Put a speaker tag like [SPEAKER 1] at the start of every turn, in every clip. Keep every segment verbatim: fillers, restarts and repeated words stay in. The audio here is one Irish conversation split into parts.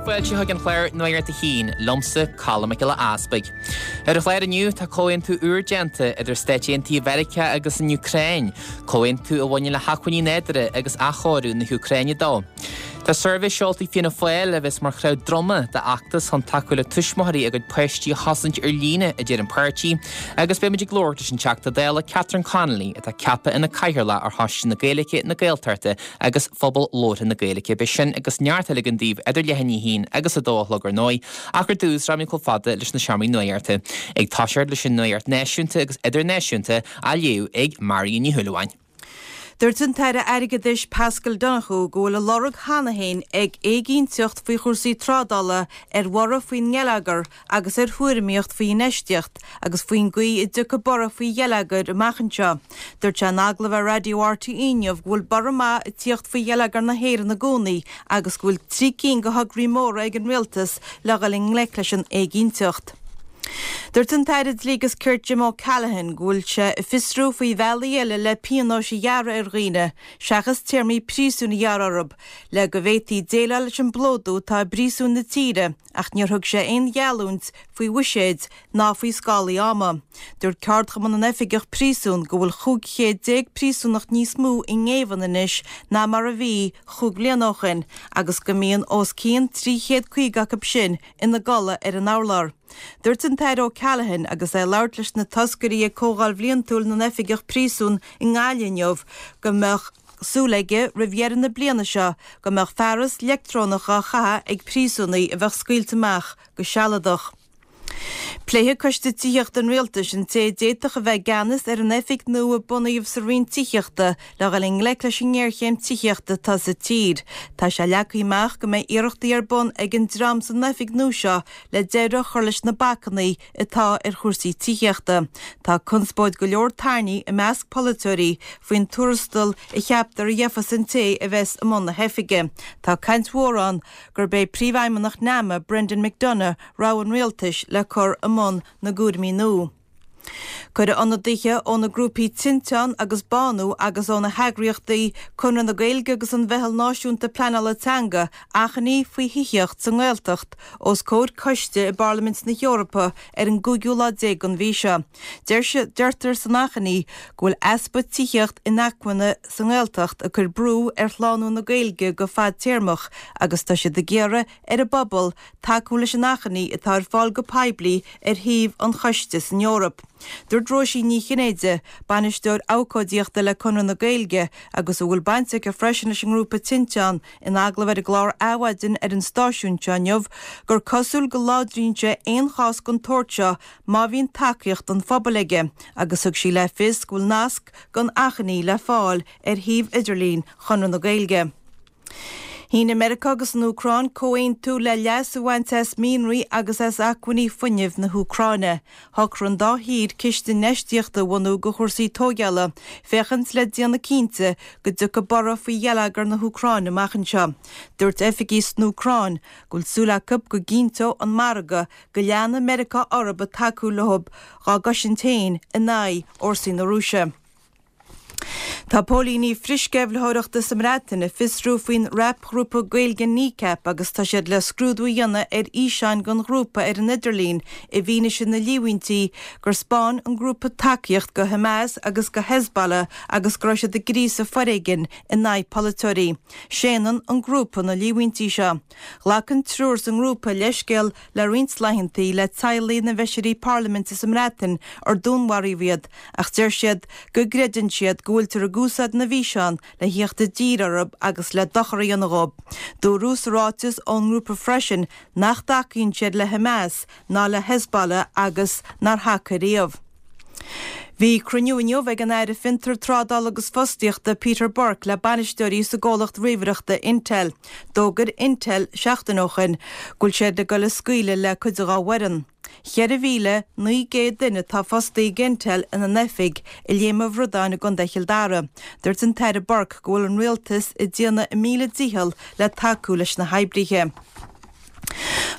[SPEAKER 1] Fáilte chuig an chlár Nuacht a hAon, liomsa Colm Mac Giolla Easpaig. Ar an chlár inniu tá comhaontú úr déanta idir Stáit Aontaithe Mheiriceá agus an Úcráin, comhaontú a bhaineann le hacmhainní nádúrtha agus athchóiriú na hÚcráine dó. Tá suirbhé seolta ag Fianna Fáil a bheas mar chraobh droma d'fheachtas chun tacú le tuismitheoirí a gcuid páistí a chosaint ar líne a deir an páirtí, agus beimid ag labhairt leis an Teachta Dála Catherine Connolly atá ceaptha ina cathaoirleach ar Choiste na Gaeilge na Gaeltachta agus Phobal Labhartha na Gaeilge beidh sin agus neart eile againn daoibh idir leath i ndiaidh a haon agus a dó a chlog ar ndóigh, ach ar dtús rachaimid chomh fada leis na seomraí nuachta. Ag toiseacht leis an nuacht náisiúnta agus idirnáisiúnta á léamh ag Marion Ní Shúilleabháin.
[SPEAKER 2] Dúirt an tAire Airgeadais Paschal Donohoe go bhfuil a lorg cheana féin ag éiginnteacht faoi chúrsaí trádála ar bhorradh faoin ngeilleagar agus ar thuairimíocht faoi infheistíocht agus faoin gcaoi a dtiocfaidh borradh faoi gheilleagar amach anseo. Dúirt sé in agallamh ar Raidió RTÉ inniu go bhfuil borradh maith ag tíocht faoi gheilleagar na hÉireann i gcónaí agus go bhfuil trí cinn de thograí móra ag an rialtas le dhul i ngleic leis an éiginnteacht. Dúirt an tAire Dlí agus Cirt Jim O'Callaghan go bhfuil sé ag fiosrú faoi bhealaí eile le pionóis a ghearradh ar dhaoine, seachas téarmaí príosúin a ghearradh orthu, le go bhféadfaí déileáil leis an bplódú atá i bpríosúin na tíre, ach níor thug sé aon gheallúint faoi bhuiséid ná faoi scálaí ama. Dúirt Ceardchumann na nOifigeach Príosún go bhfuil chúig chéad déag príosúnach níos mó i ngéibheann anois ná mar a bhí chúig bliana ó shin agus go mbíonn os cionn trí chéad caoga acu sin ina gcodladh ar an urlár. Dúirt an tAire O'Callaghan agus é ag labhairt leis na toscairí ag Comhdháil Bhliantúil na nOifigeach Príosún i nGaillimh inniu go mbeadh súil aige roimh dheireadh na bliana seo go mbeadh fearas leictreonach á chaitheamh ag príosúnaigh a bheadh scaoilte amach go sealadach. Pléifidh Coiste Tithíochta an Rialtais an té a d'fhéadfadh a bheith i gceannas ar an oifig nua a bunaíodh sa Roinn Tithíochta le dhul i ngleic leis an ngéarchéim tithíochta atá sa tír. Tá sé leagtha amach go mbeidh iarrachtaí ar bun ag an dream san oifig nua seo le deireadh a chur leis na bacanna atá ar chúrsaí tithíochta. Tá conspóid go leor tarraingthe i measc polaiteoirí faoin tuarastal a cheaptar a gheobhas an té a bheas i mbun na hoifige. Tá caint mhór ann gurb é príomhfheidhmeannach NAMA Brendan McDonagh rogha an rialtais le cur i mbun na gcúraimí nua. Cuireadh ionadaithe ó na grúpaí Tinteán agus Bánú agus ó na heagraíochtaí Conradh na Gaeilge agus an Mheitheal Náisiúnta Pleanála Teanga achainí faoi thithíocht sa nGaeltacht os comhair coiste i bParlaimint na hEorpa ar an gcúigiú lá déag den mhí seo. Deirtear san achainí go bhfuil easpa tithíocht inacmhainne sa nGaeltacht ag cur brú ar shlánú na Gaeilge go fadtéarmach agus tá siad ag iarraidh ar an bpobal tacú leis an achainí atá ar fáil go poiblí ar shuíomh an choiste san Eoraip. Dúirt Róisín Ní Chinnéide, bainisteoir abhcóideachta le Conradh na Gaeilge agus a bhfuil baint aici freisin leis an ngrúpa Tinteán in agallamh ar an gclár Adhmhaidin ar an stáisiún seo inniu, gur cosúil go láidríonn sé aon chás den tsórt seo má bhíonn tacaíocht an phobail aige, agus thug sí le fios go bhfuil nasc don achainí le fáil ar shuíomh idirlín Chonradh na Gaeilge. Shínigh Meiriceá agus an Úcráin comhaontú le leas a bhaint as mianraí agus as acmhainní fuinnimh na hÚcráine. Shocraigh an dá thír ciste infheistíochta a bhunú do chúrsaí tógála, féachaint le déanamh cinnte go dtiocfaidh borradh faoi gheilleagar na hÚcráine amach anseo. Dúirt oifigigh san Úcráin go bhfuil súil acu go gcinnteoidh an margadh go leanfaidh Meiriceá orthu ag tacú leo dá gcosaint féin in aghaidh fhórsaí na Rúise. Tá póilíní frithsceimhlitheoireachta sa mBreatain ag fiosrú faoin rapghrúpa Gaeilge Kneecap agus tá siad le scrúdú a dhéanamh ar fhíseáin den ghrúpa ar an idirlíon i bhfianaise na líomhaintí gur 'spáin an grúpa tacaíocht go Hamas agus go Hezbollah agus go raibh siad ag gríosadh foréigin in aghaidh polaiteoirí. Séanann an grúpa na líomhaintí seo. Ghlac an triúr sa ngrúpa leithscéal le roinnt laethanta le teaghlaigh na bhfeisirí parlaiminte sa mBreatain ar dúnmharaíodh iad ach deir siad go gcreideann siad go bhfuiltear ag úsáid na bhfíseán le theacht i dtír orthu agus le dochar a dhéanamh dóibh. Dúradh sa ráiteas ón ngrúpa freisin nach dtacaíonn siad le Hamas ná le Hezbollah agus nár thacaigh riamh. Bhí cruinniú inniu ag an Aire Fiontar, Trádála agus Fostaíochta Peter Burke le bainisteoirí sa gcomhlacht ríomhaireachta Intel. D'fhógair Intel seachtain ó shin go bhfuil siad ag dul ag scaoileadh le cuid dá bhfoireann. Ceithre mhíle naoi gcéad duine atá fostaithe ag Intel ina n-oifig i Léim an Bhradáin i gContae Chill Dara. Dúirt an tAire Burke go bhfuil an rialtas ag déanamh a míle dícheall le tacú leis na hoibrithe.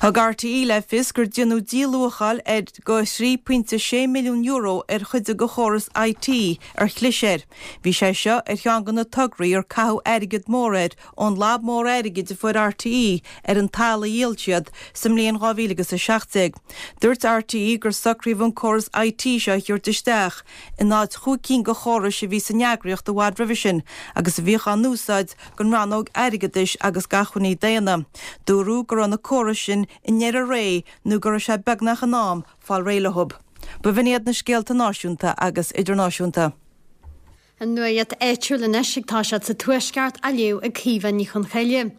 [SPEAKER 2] Thug RTÉ le fios gur déanadh díluacháil ar go trí pointe sé milliún euro ar chuid de chóras IT ar chlis air. Bhí sé seo ar cheann de na tograí ar caitheadh airgead mór air ón lab mór airgid a fuair RTÉ ar an talamh a dhíol siad sa mbliain dhá mhíle agus a seacht déag. Dúirt RTÉ gur socraíodh an córas IT seo a thabhairt isteach in áit chúig cinn de chórais a bhí san eagraíocht i bhfad roimhe sin agus a bhíodh á n-úsáid don rannóg airgeadais agus d'acmhainní daonna. Dúradh go raibh na córais sin i ndeireadh ré nó go raibh sé beagnach in am fáil réidh leo. B'in iad na scéalta náisiúnta agus idirnáisiúnta.
[SPEAKER 3] An nuacht áitiúil anois ag toiseacht sa Tuaisceart á léamh ag Caoimhe Ní Chonchoille.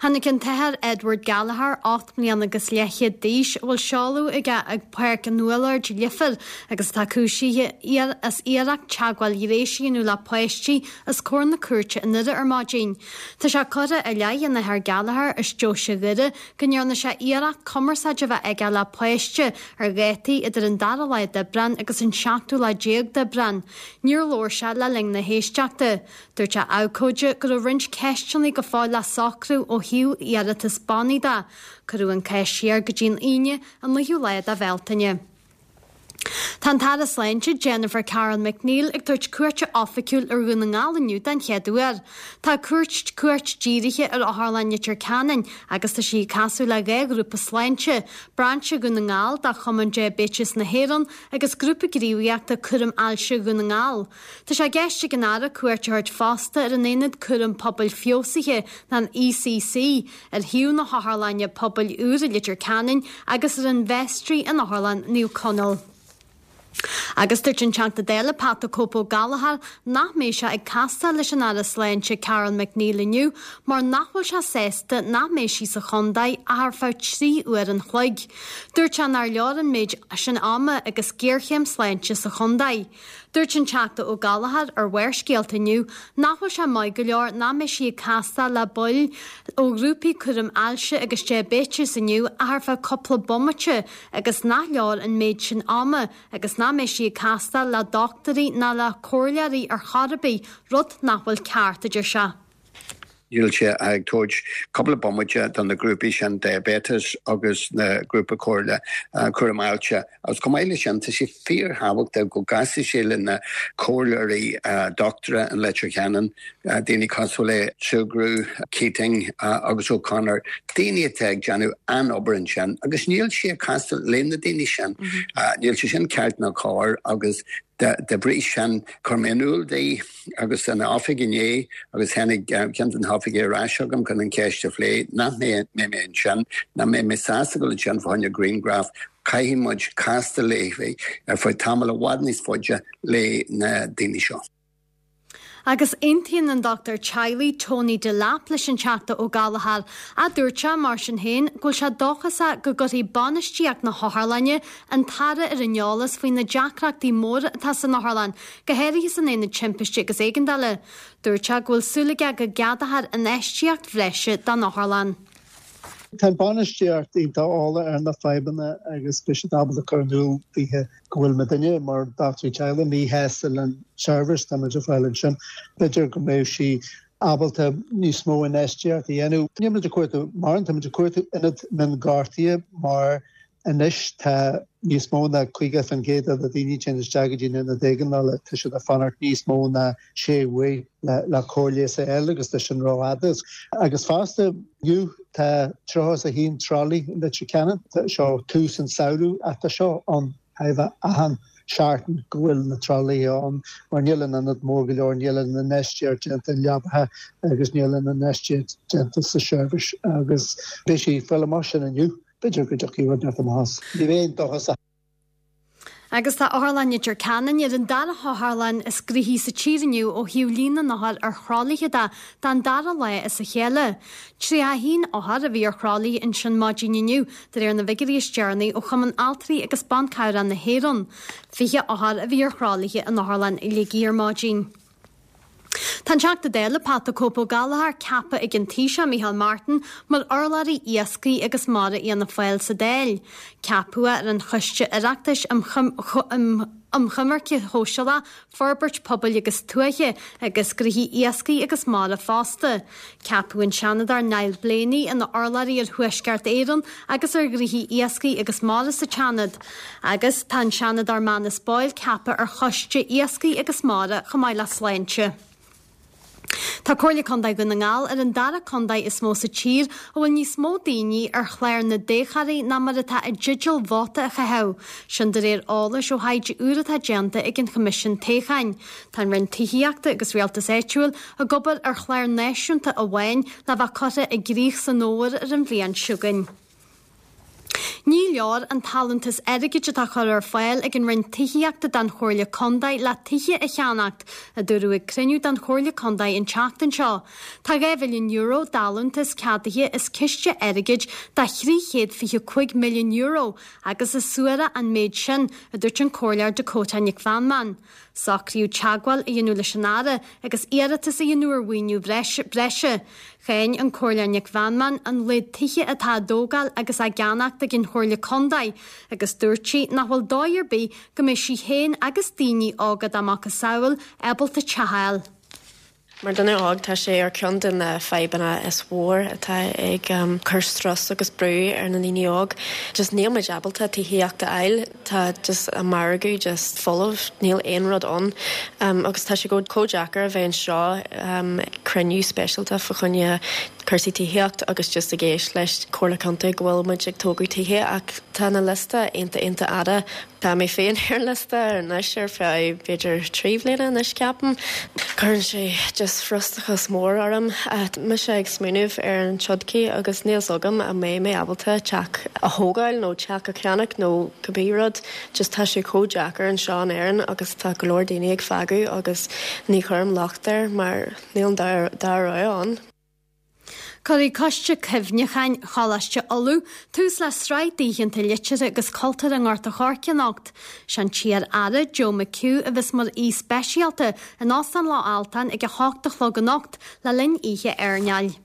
[SPEAKER 3] Tháinig an tAthair Edward Gallagher ocht mbliana agus leathchéad d'aois a bhfuil seoladh aige ag Páirc an Úlloird, Leifear agus atá cúisithe as iarracht teagmháil ghnéis a dhéanamh le páistí os comhair na cúirte i nDoire ar maidin. Tá sé curtha i leith an Athar Gallagher as deoise Dhoire go ndearna sé iarracht cumarsáid a bheith aige le páiste ar dhátaí idir an dara lá d'Aibreán agus an seachtú lá déag d'Aibreán. Níor labhair sé le linn na héisteachta. Dúirt a abhcóide go raibh roinnt ceisteanna go fóill le socrú ó thaobh iarratas bannaí de. Cuireadh an cás siar go dtí an Aoine an naoú lá de Bhealtaine. Tá an tAire Sláinte Jennifer Carroll MacNeill ag tabhairt cuairte oifigiúil ar Dhún na nGall inniu den chéad uair. Tá cuairt cuairt dírithe ar Otharlann Leitir Ceanainn agus tá sí ag casadh le dhá ghrúpa sláinte, Brainse Dhún na nGall de Chumann Diaibéitis na hÉireann agus Grúpa Gníomhaíochta Cúram Ailse Dhún na nGall. Tá sé i gceist ag an Aire cuairt a thabhairt fosta ar an Aonad Cúram Pobail Feabhsaithe, an ECC, ar shuíomh na hOtharlainne Pobail úr i Leitir Ceanainn agus ar an Vestry in Otharlann Naomh Conaill. Agus dúirt an Teachta Dála Pat the Cope Ó Gallchóir nach mbeidh sé ag castáil leis an Aire Sláinte Carroll MacNeill inniu mar nach bhfuil sé sásta nach mbeidh sí sa chontae ach ar feadh trí uair an chloig. Dúirt sé nár leor an méid sin ama agus géarchéim sláinte sa chontae. Dúirt an Teachta Ó Gallchóir ar Bharrscéalta inniu nach bhfuil sé maith go leor nach mbeidh sí ag castáil le baill ó ghrúpaí cúram ailse agus diaibéitis inniu ach ar feadh cúpla bomaite agus nach leor an méid sin ama agus nach mbeidh sí ag castáil le dochtúirí ná le comhairleoirí ar chor ar bith, rud nach bhfuil ceart, a deir sé.
[SPEAKER 4] Níl sé ag tabhairt cúpla bomaite do na grúpaí sin diabetes agus na grúpa comhairle cúram ailse. Agus chomh maith leis sin, tá sé fíorthábhachtach go gcasfaidh sé le na comhairleoirí dochtúra in Leitir Ceanainn, daoine cosúil le Sugrue, Keating agus O'Connor, daoine atá ag déanamh an-obair ansin agus níl sé ag castáil le na daoine sin. Níl sé sin ceart ná cóir agus de bhrí sin chuir mé in iúl di agus an oifig inné agus tháinig ceann de na hoifigigh ar ais agam chun an cheist a phlé nach mbeidh mé ansin, nach mbeidh mé sásta dul ansin fá choinne grianghraf, caithfidh muid castáil léi ar feadh tamall i bhfad níos faide le na daoine seo.
[SPEAKER 3] Agus aontaíonn an dochtúir teaghlaigh Tony Delap leis an Teachta Ó Gallchóir, a dúirt sé, mar sin féin, go bhfuil sé dóchasach go gcuirfidh bainistíocht na hotharlainne an tAire ar an eolas faoi na deacrachtaí móra atá san otharlann, go háirithe san aonad timpiste agus éigeandála. Dúirt sé go bhfuil súil aige go gceadófar infheistíocht bhreise don otharlann.
[SPEAKER 5] Tá an bainistíocht iontach eolach ar na fadhbanna agus beidh siad ábalta cur in iúl daoithe go bhfuil muidinne mar dochtúirí teaghlaigh míshásta leis an seirbhís atá muid ag fáil ansin. B'fhéidir go mbeidh sí ábalta níos mó infheistíocht a dhéanamh. Níl muid ag cuartú mórán, tá muid ag cuartú ionad mionghortaithe mar anois tá níos mó ná caoga faoin gcéad de na daoine a théann isteach go dtí an ionad éigeandála, tá siad ag fanacht níos mó ná sé mhí le cóir leighis a fháil agus tá sin rófhada. Agus fosta inniu tá tríocha is a haon tralaí i Leitir Ceanainn, seo tús an samhradh ach tá seo ann achan seachtain go bhfuil na tralaithe ann mar níl an ionad mór go leor, níl an infheistíocht déanta i leapacha agus níl an infheistíocht déanta sa seirbhís agus beidh sí ag fáil amach sin inniu. B'fhéidir go dtiocfaidh rud inteacht amach as. Ní bheinn dóchasach.
[SPEAKER 3] Agus tá Otharlann Leitir Ceanainn ar an dara hotharlann is gnoithí sa tír inniu ó thaobh líon na n-othar ar thralaithe de don dara lá as a chéile. Tríocha a haon othar a bhí ar thralaí ansin maidin inniu, de réir na bhfigiúirí is deireanaí ó Chumann Altraí agus Ban Cabhrach na hÉireann. Fiche othar a bhí ar thralaithe in Otharlann Shligigh ar maidin. Tá an Teachta Dála Pat the Cope Ó Gallchóir ceaptha ag an Taoiseach Micheál Martin mar urlabhraí iascaigh agus mara Fhianna Fáil sa Dáil. Ceapadh é ar an Choiste Oireachtais um um Choimirce Shóisialach, Forbairt Pobail agus Tuaithe agus Gnóthaí Iascaigh agus Mara fosta. Ceapadh an Seanadóir Niall Blaney ina urlabhraí ar Thuaisceart Éireann agus ar Ghnóthaí Iascaigh agus Mara sa tSeanad. Agus tá an Seanadóir Manus Boyle ceaptha ar Choiste Iascaigh agus Mara chomh maith le Sláinte. Tá Comhairle Contae Dhún na nGall ar an dara contae is mó sa tír a bhfuil níos mó daoine ar chlár na dtoghthóirí ná mar atá i dteideal vóta a chaitheamh. Sin de réir eolais ó thaighde úr atá déanta ag an Choimisiún Toghcháin. Tá an Roinn Tithíochta agus Rialtais Áitiúil ag obair ar chlár náisiúnta amháin le bheith curtha i gcrích san fhómhar ar an bhliain seo chugainn. Ní leor an t-allúntas airgid atá curtha ar fáil ag an Roinn Tithíochta don Chomhairle Contae le tithe a cheannacht, a dúradh ag cruinniú den Chomhairle Contae an tseachtain seo. Tá dhá mhilliún euro d'allúntas ceadaithe as ciste airgid de thrí chéad fiche cúig milliún euro agus is suarach an méid sin, a dúirt an Comhairleoir Dakota Nic Mheanman. Socraíodh teagmháil a dhéanamh leis an Aire agus iarratas a dhéanamh ar mhaoiniú breise. Cháin an Comhairleoir Nic Mheanman an laghad tithe atá á dtógáil agus á gceannacht ag an Chomhairle Contae agus dúirt sí nach bhfuil dóigh ar bith go mbeidh sí féin agus daoine óga dá macasamhail ábalta teach a fháil.
[SPEAKER 6] Mar duine óg tá sé ar ceann de na fadhbanna is mhór atá ag cur strus agus brú ar na ndaoine óg. Just níl muid ábalta tithíocht a fháil, tá just an margadh just folamh, níl aon rud ann. Um, agus tá sé go chomh deacair a bheith anseo um, cruinniú speisialta fá choinne cúrsaí tithíocht agus just ag éisteacht leis Comhairle Contae go bhfuil muid ag tógáil tithe ach tá na liosta iontach iontach fhada. Tá mé féin ar liosta anois ar feadh b'fhéidir trí bhliana anois ceapaim. Cuireann sé just frustrachas mór orm. Mise ag smaoineamh ar an todhchaí agus níl a fhios agam an mbeidh mé ábalta teach a thógáil nó teach a cheannach nó cibé rud, just tá sé chomh deacair anseo in Éirinn agus tá go leor daoine ag fágáil agus ní chuirim locht air mar níl an dara rogha ann.
[SPEAKER 3] Cuirfidh Coiste Cuimhneacháin Choláiste Uladh tús le sraith d'oícheanta liteartha agus cultúrtha i nGort a' Choirce anocht. Sé an t-iar-aire Joe McHugh a bheas mar aoi speisialta in Óstán Loch Altáin ag a hocht a chlog anocht le linn oíche airneáil.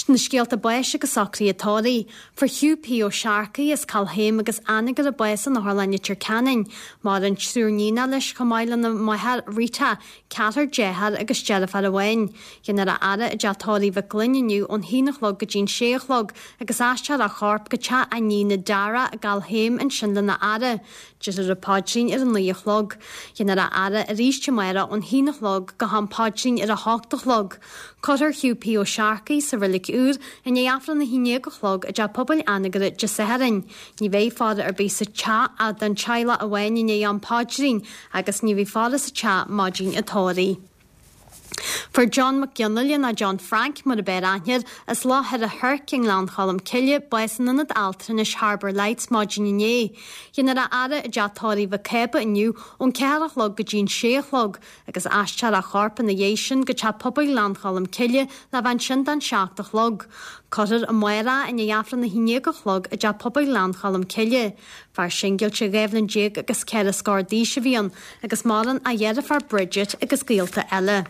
[SPEAKER 3] Na scéalta báis agus socruithe tórraimh. Fuair Hugh P. Ó Searcaigh as Cill Chéim agus Anagaire bás in Otharlann Leitir Ceanainn. Maireann triúr níonacha leis chomh maith lena mháthair Rita, ceathrar dearthár agus deirfiúr amháin. Déanfar a fhaire i dteach tórraimh Mhic Gloinn inniu ón haon a chlog go dtí'n sé a chlog agus aistreofar a chorp go teach a iníne Dara i gCill Chéim ansin lena fhaire. Déarfar an paidrín ar a naoi a chlog. Déanfar a fhaire arís amárach ón haon a chlog go ham paidrín ar a hocht a chlog. Cuirfear Hugh P. Ó Searcaigh sa reilig úr i ndiaidh Aifreann a haon déag a chlog i dteach pobail Anagaire Dé Sathairn. Ní bheidh faire ar bith sa teach ach don teaghlach amháin i ndiaidh am paidrín agus ní bheidh faire sa teach maidin an tórraimh. Fuair John Mac Fhionnaile nó John Frank mar ab fhearr aithne air as Loch Thoir a Thoirc i nGleann Cholm Cille bás in ionad altranais Harbour Lights maidin inné. Déanfar a fhaire i dteach tórraimh Mhic Cába inniu ón ceathair a chlog go dtí'n sé a chlog agus aistreofar a chorp ina dhiaidh sin go teach pobail Ghleann Cholm Cille le bheith ansin don seacht a chlog. Cuirfear amárach i ndiaidh Aifreann a haon déag a chlog i dteach pobail Ghleann Cholm Cille. Fear singilte dhá bhliain déag agus ceithre scór d'aois a bhí ann agus maireann a dheirfiúr Bridget agus gaolta eile.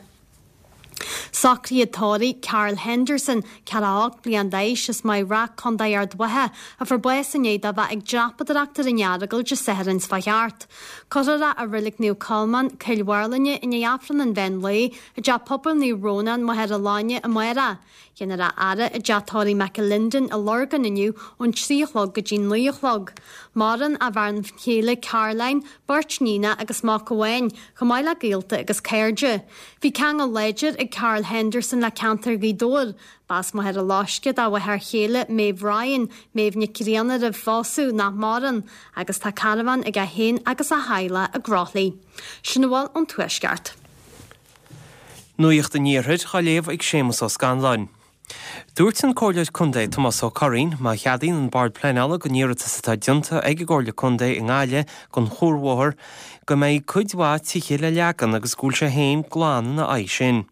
[SPEAKER 3] Socruithe tórraimh Carl Henderson, ceathracha a hocht bliain d'aois as Maigh Rath, Contae Ard Mhacha, a fuair bás inné dá bheith ag dreapadóireacht ar an Earagail Dé Sathairn seo thart. Cuirfear é i Reilig Naomh Colmán, Cill Mharlainne i ndiaidh Aifreann an mheán lae i dteach pobail Naomh Rónán, Machaire Láine amárach. Déanfar a fhaire i dteach tórraimh McAlinden i Lurgan inniu ón trí a chlog go dtí naoi a chlog. Maireann a bhean chéile Caroline, beirt níonacha agus mac amháin, chomh maith le gaolta agus cairde. Bhí ceangal láidir ag Carl Henderson le ceantar Ghaoth Dobhair. B'as Machaire Loiscthe dá mháthair chéile Maeve Ryan, Maeve Nic Grianna roimh phósadh nach maireann, agus tá carbhán aige féin agus a theaghlach i gCroithlí. Sin a bhfuil ón Tuaisceart.
[SPEAKER 7] Nuacht an Iarthair á léamh ag Séamus Ó Scanláin. Dúirt an Comhairleoir Contae Tomás Ó Curraoin má cheadaíonn an Bord Pleanála don iarratas atá déanta ag an gComhairle Contae i nGaillimh don chuarbhóthar go mbeidh cuid mhaith tithe le leagan agus go bhfuil sé féin glan ina aghaidh sin.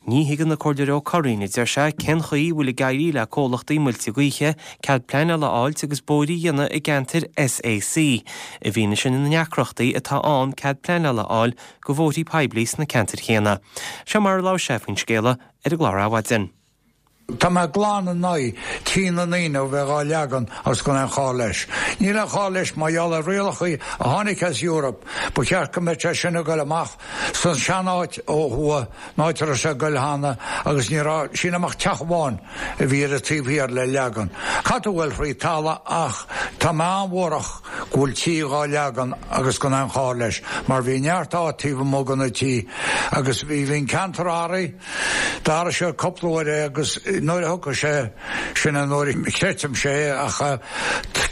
[SPEAKER 7] Ní thuigeann an Comhairleoir Ó Curraoin a deir sé cén chaoi a bhfuil ag éirí le comhlachtaí muilte gaoithe cead pleanála a fháilt agus bóithre a dhéanamh i gceantair SAC i bhfianaise na ndeacrachtaí atá ann cead pleanála a fháil do bhóithrí poiblí sna ceantair chéanna. Seo mar a labhair sé faoin scéala ar an gclár Adhmhaidin.
[SPEAKER 8] Tá mé glan in aghaidh tí na ndaoine a bheith dhá leagan agus gan aon chall leis. Níl aon chall leis mar gheall ar rialacha a tháinig as Europe, ba cheart go mbeadh sé sin ag goil amach san seanáit ó thuaidh, an áit a raibh sé ag goil cheana agus ní raibh, sílim ach teach amháin a bhí ar an taobh thiar le leagan. Caithfidh tú a ghoil thríd talamh ach tá mé an-bhuarach go bhfuil tí dhá leagan agus gan aon chall leis mar bhí neart áit taobh amuigh de na tí agus bhí bhí an ceantar athraithe, d'athraigh sé cúpla uair é agus nuair a thiocfaidh sé, sin an uair a chreidfimse é ach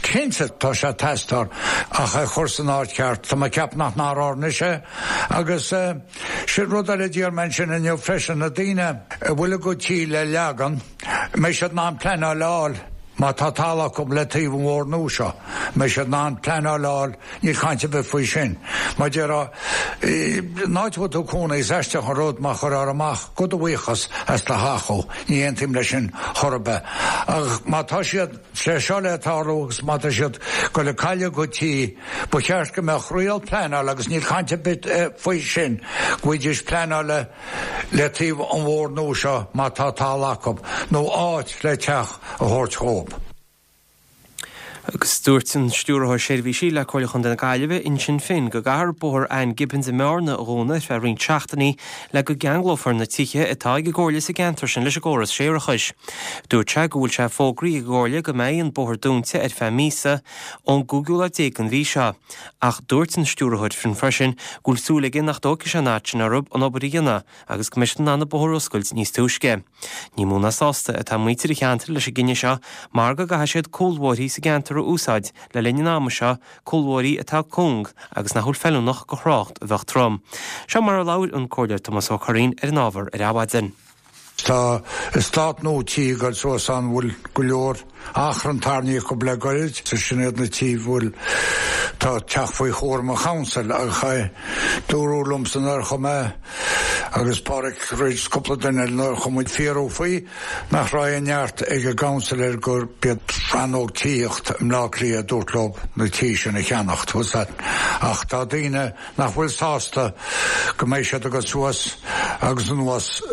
[SPEAKER 8] cinnte tá sé ag teastáil ach é chur san áit cheart. Tá mé ag ceapadh nach n-athrófar anois é agus sin rud eile a d'iarr mé ansin inniu freisin, na daoine a bhfuil a gcuid tí le leagan, an mbeidh siad in ann pleanáil a fháil má tá talamh acu le taobh an bhóthair nua seo, an mbeidh siad in ann pleanáil a fháil, níl caint ar bith faoi sin. Mar déarfá, an áit a bhfuil tú ag cónaí, is aisteach an rud má chuirfear amach go do bhuíochas as do theach thú, ní aontaím leis sin chor ar bith. Ach má tá siad sé seo le tarlú agus má tá siad ag goil ag cailleadh a gcuid tí, ba cheart go mbeadh riail pleanála agus níl caint ar bith faoi sin, go bhfaighidís pleanáil le taobh an bhóthair nua seo má tá talamh acu, nó áit le teach a thabhairt dhóibh.
[SPEAKER 7] Agus dúirt an Stiúrthóir Seirbhísí le Comhairle Chontae na Gaillimhe, Uinseann Finn, go gcaithfear Bóthar Ann Gibbons i mBearna a dhúnadh ar feadh roinnt seachtainí le go gceanglófar na tithe atá ag an gComhairle sa gceantar sin leis an gcóras séarachais. Dúirt sé go bhfuil sé fógraithe ag an gComhairle go mbeidh an bóthar dúnta ar feadh míosa ón gcúigiú lá déag den mhí seo. Ach dúirt an Stiúrthóir Finn freisin go bhfuil súil aige nach dtógfaidh sé an fhad sin orthu an obair a dhéanamh agus go mbeidh siad in ann an bóthar a oscailt níos túisce. Ní mó ná sásta atá muintir an cheantair leis an gcinneadh seo mar go gcaithfidh siad cúlbhóithrí sa gceantar a úsáid le linn an ama seo, cúlbhóithrí atá cúng agus nach bhfuil feiliúnach do thrácht a bheadh trom. Seo mar a labhair an Comhairleoir Tomás Ó Curraoin ar an ábhar ar Adhmhaidin.
[SPEAKER 8] Tá eastát nua tí ag dul suas ann a bhfuil go leor achrann tarraingthe acu le goirid. Sin iad na tí a bhfuil tá teacht faoi chúram an chouncil ach dúradh liomsa nuair a chuaigh mé agus Pádraig Ridge cúpla duine eile nuair a chuaigh muid fiafraí faoi nach raibh aon neart ag an gcouncil air gur b'iad rannóg tithíocht i mBleá Cliath a dúirt leo na tí sin a cheannacht. Ach tá daoine nach bhfuil sásta go mbeidh siad ag dul suas agus anuas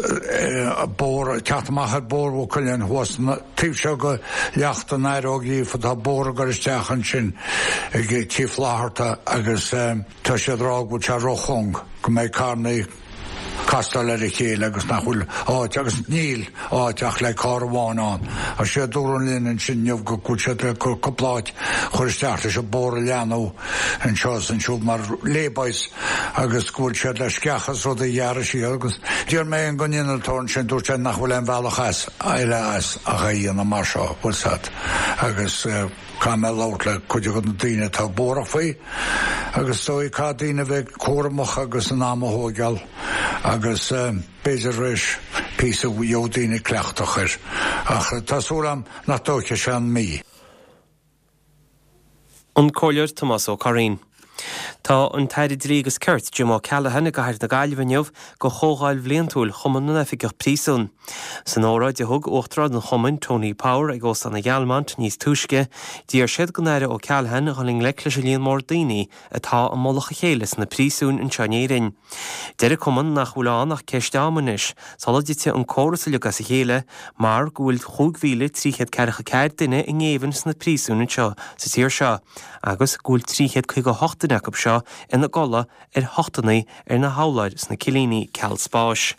[SPEAKER 8] bóthar, teacht amach ar Bhóthar Mhaigh Cuilinn thuas an taobh seo de Leacht an Athar Ó Gríofa, tá bóthar ag dul isteach ansin ag Tí Flatharta agus tá siad ag rá go bhfuil sé róchúng, go mbeidh carrannaí castáil ar a chéile agus nach bhfuil áit, agus níl áit ach le carr amháin ann. Ach sé a dúradh linn ansin inniu go bhfuil siad ag cur cúpla áit a chur isteach leis an bóthar a leathnú anseo is ansiúd mar laybys agus go bhfuil siad le sceacha is rudaí a ghearradh siar agus d'iarr mé den innealtóir ansin dúirt sé nach bhfuil aon bhealach as eile as ach é a dhéanamh mar seo, bhfuil 's a'd agus. Caithfidh mé labhairt le cuid de na daoine atá buartha faoi agus is dóigh caithfidh daoine a bheith cúramach agus an am a thóigeáil agus b'fhéidir tar éis píosa gheobhaidh daoine cleachtach air ach tá súil agam nach dtóigfidh sé an mí.
[SPEAKER 7] An Comhairleoir Tomás Ó Curraoin. Tá an tAire Dlí agus Cirt, Jim O'Callaghan i gcathair na Gaillimhe inniu do chomhdháil bhliantúil Chumann na nOifigeach Príosún. San óráid a thug Uachtarán an Chumainn, Tony Power, ag Óstán an Ghealmont níos túisce, d'iarr siad don Aire O'Callaghan a dhul i ngleic leis an líon mór daoine atá i mullach a chéile sna príosúin anseo in Éirinn. Deir an Cumann nach bhfuil ann ach ceist ama anois sula dtitfidh an córas uilig as a chéile mar go bhfuil chúig mhíle trí chéad ceathracha ceathair duine i ngéibheann sna príosúin anseo sa tír seo agus go bhfuil trí chéad caoga a hocht duine acu seo ina gcodladh ar thochtanna ar na hurláir sna cillíní ceal spáis.